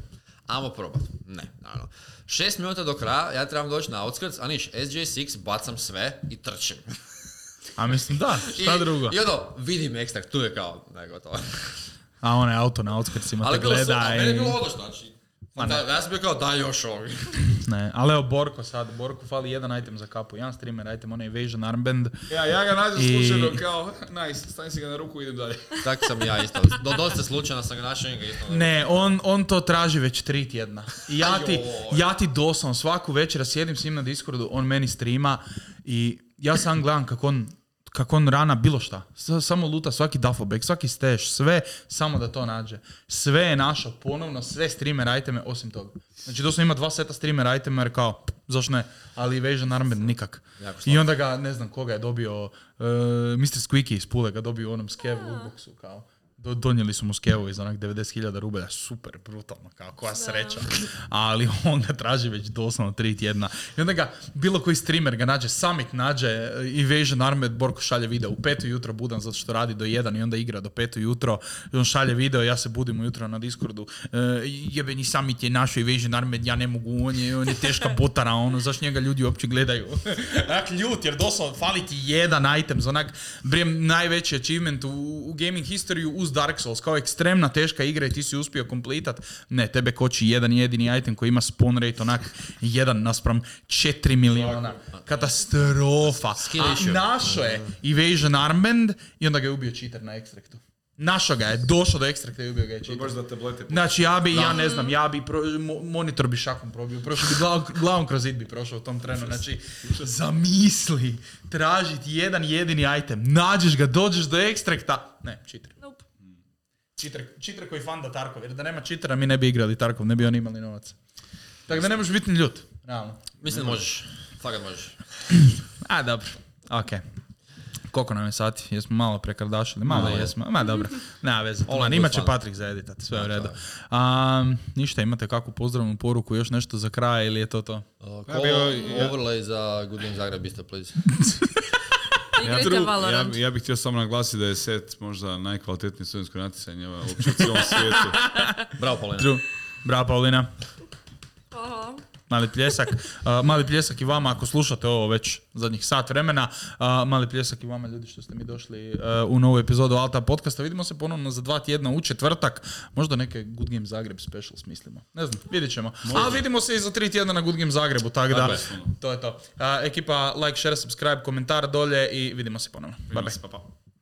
Ajmo probat. Ne, naravno. Šest minuta do kraja, ja trebam doći na outskirts, a niš, S J šest, bacam sve i trčim. A mislim da, šta I, drugo? I ono, vidim ekstrakt, tu je kao, ne gotovo. A onaj auto na outskirtsima Ali te bilo su, gleda a i... meni je bilo odlično, znači. Da, ja sam bio kao, daj još ovog. Ne, ali evo Borko sad, Borko fali jedan item za kapu, jedan streamer item, onaj Evasion Armband. Ja, ja ga nađem I- slučajno kao, nice, stavim si ga na ruku i idem dalje. Tak sam ja isto. Do, dosta slučajno sam ga našao i ga isto. Ne, on, on to traži već tri tjedna. I ja ti, Ajoj. ja ti doslovno svaku večer sjedim s njim na Discordu, on meni streama i ja sam gledam kako on, kako on rana bilo šta. S- samo luta svaki duffel svaki stash, sve samo da to nađe. Sve je našao ponovno, sve streamer iteme osim toga. Znači doslovno ima dva seta streamer itema jer kao, pff, zašto ne, ali Evasion Armband nikak. Jako I slabo. onda ga, ne znam koga je dobio, uh, mister Squeaky iz Pule ga dobio u onom skev lootboxu kao. Do, donijeli su mu skevu iz onak devedeset hiljada rubelja, super, brutalno, kao koja sreća. Ali on ga traži već doslovno tri tjedna. I onda ga, bilo koji streamer ga nađe, Summit nađe, Evasion Armband, Borko šalje video, u pet ujutro budan zato što radi do jedan i onda igra do pet ujutro, i on šalje video, ja se budim ujutro na Discordu, e, jebeni Summit je našo Evasion Armband, ja ne mogu, on je, on je teška botara, ono, zašto njega ljudi uopće gledaju. Onak ljut, jer doslovno fali ti jedan item, za onak, brijem, najveći achievement u, u gaming historiju uz Dark Souls, kao ekstremna teška igra i ti si uspio komplitat. Ne, tebe koči jedan jedini item koji ima spawn rate onak jedan naspram četiri miliona. Katastrofa. Skill A issue. našo je Evasion Armband i onda ga je ubio cheater na ekstraktu. Našo ga je, došao do ekstrakta i ubio ga je To je cheater. baš za tablete. Znači ja bi, ja ne znam, ja bi, pro, mo- monitor bi šakom probio, prošao bi glavom, glavom kroz zid bi prošao u tom trenu, znači zamisli, tražiti jedan jedini item, nađeš ga, dođeš do ekstrakta, ne, cheater. Nope. Cheater, cheater koji fanda Tarkov, jer da nema cheatera mi ne bi igrali Tarkov, ne bi oni imali novac. Tako da ne možeš biti ni ljut, realno. Mislim da možeš. Fakat možeš. A, dobro, okej. Koliko nam je sati? Jesmo malo prekardašili? Malo Malo je. jesmo. Ma dobro, nema veze. All Man, in imat good će fun. Patrik za editat, sve u redu. Um, ništa, imate kakvu pozdravnu poruku, još nešto za kraj ili je to to? Uh, Ja call bi- ja- overlay za Good Game Zagreb isto, please. Igrajte Valorant. Ja, ja bih htio samo naglasiti da je set možda najkvalitetnije studentsko natjecanje uopće u cijelom svijetu. Bravo, Paulina. True. Bravo, Paulina. Hvala. Mali pljesak. Uh, mali pljesak i vama ako slušate ovo već zadnjih sat vremena. Uh, mali pljesak i vama ljudi što ste mi došli uh, u novu epizodu Alta podcasta. Vidimo se ponovno za dva tjedna u četvrtak. Možda neke Good Game Zagreb special smislimo. Ne znam, vidjet ćemo. A vidimo se i za tri tjedna na Good Game Zagrebu. Tako da, Tako je. to je to. Uh, ekipa, like, share, subscribe, komentar dolje i vidimo se ponovno. Bye bye. Pa, pa.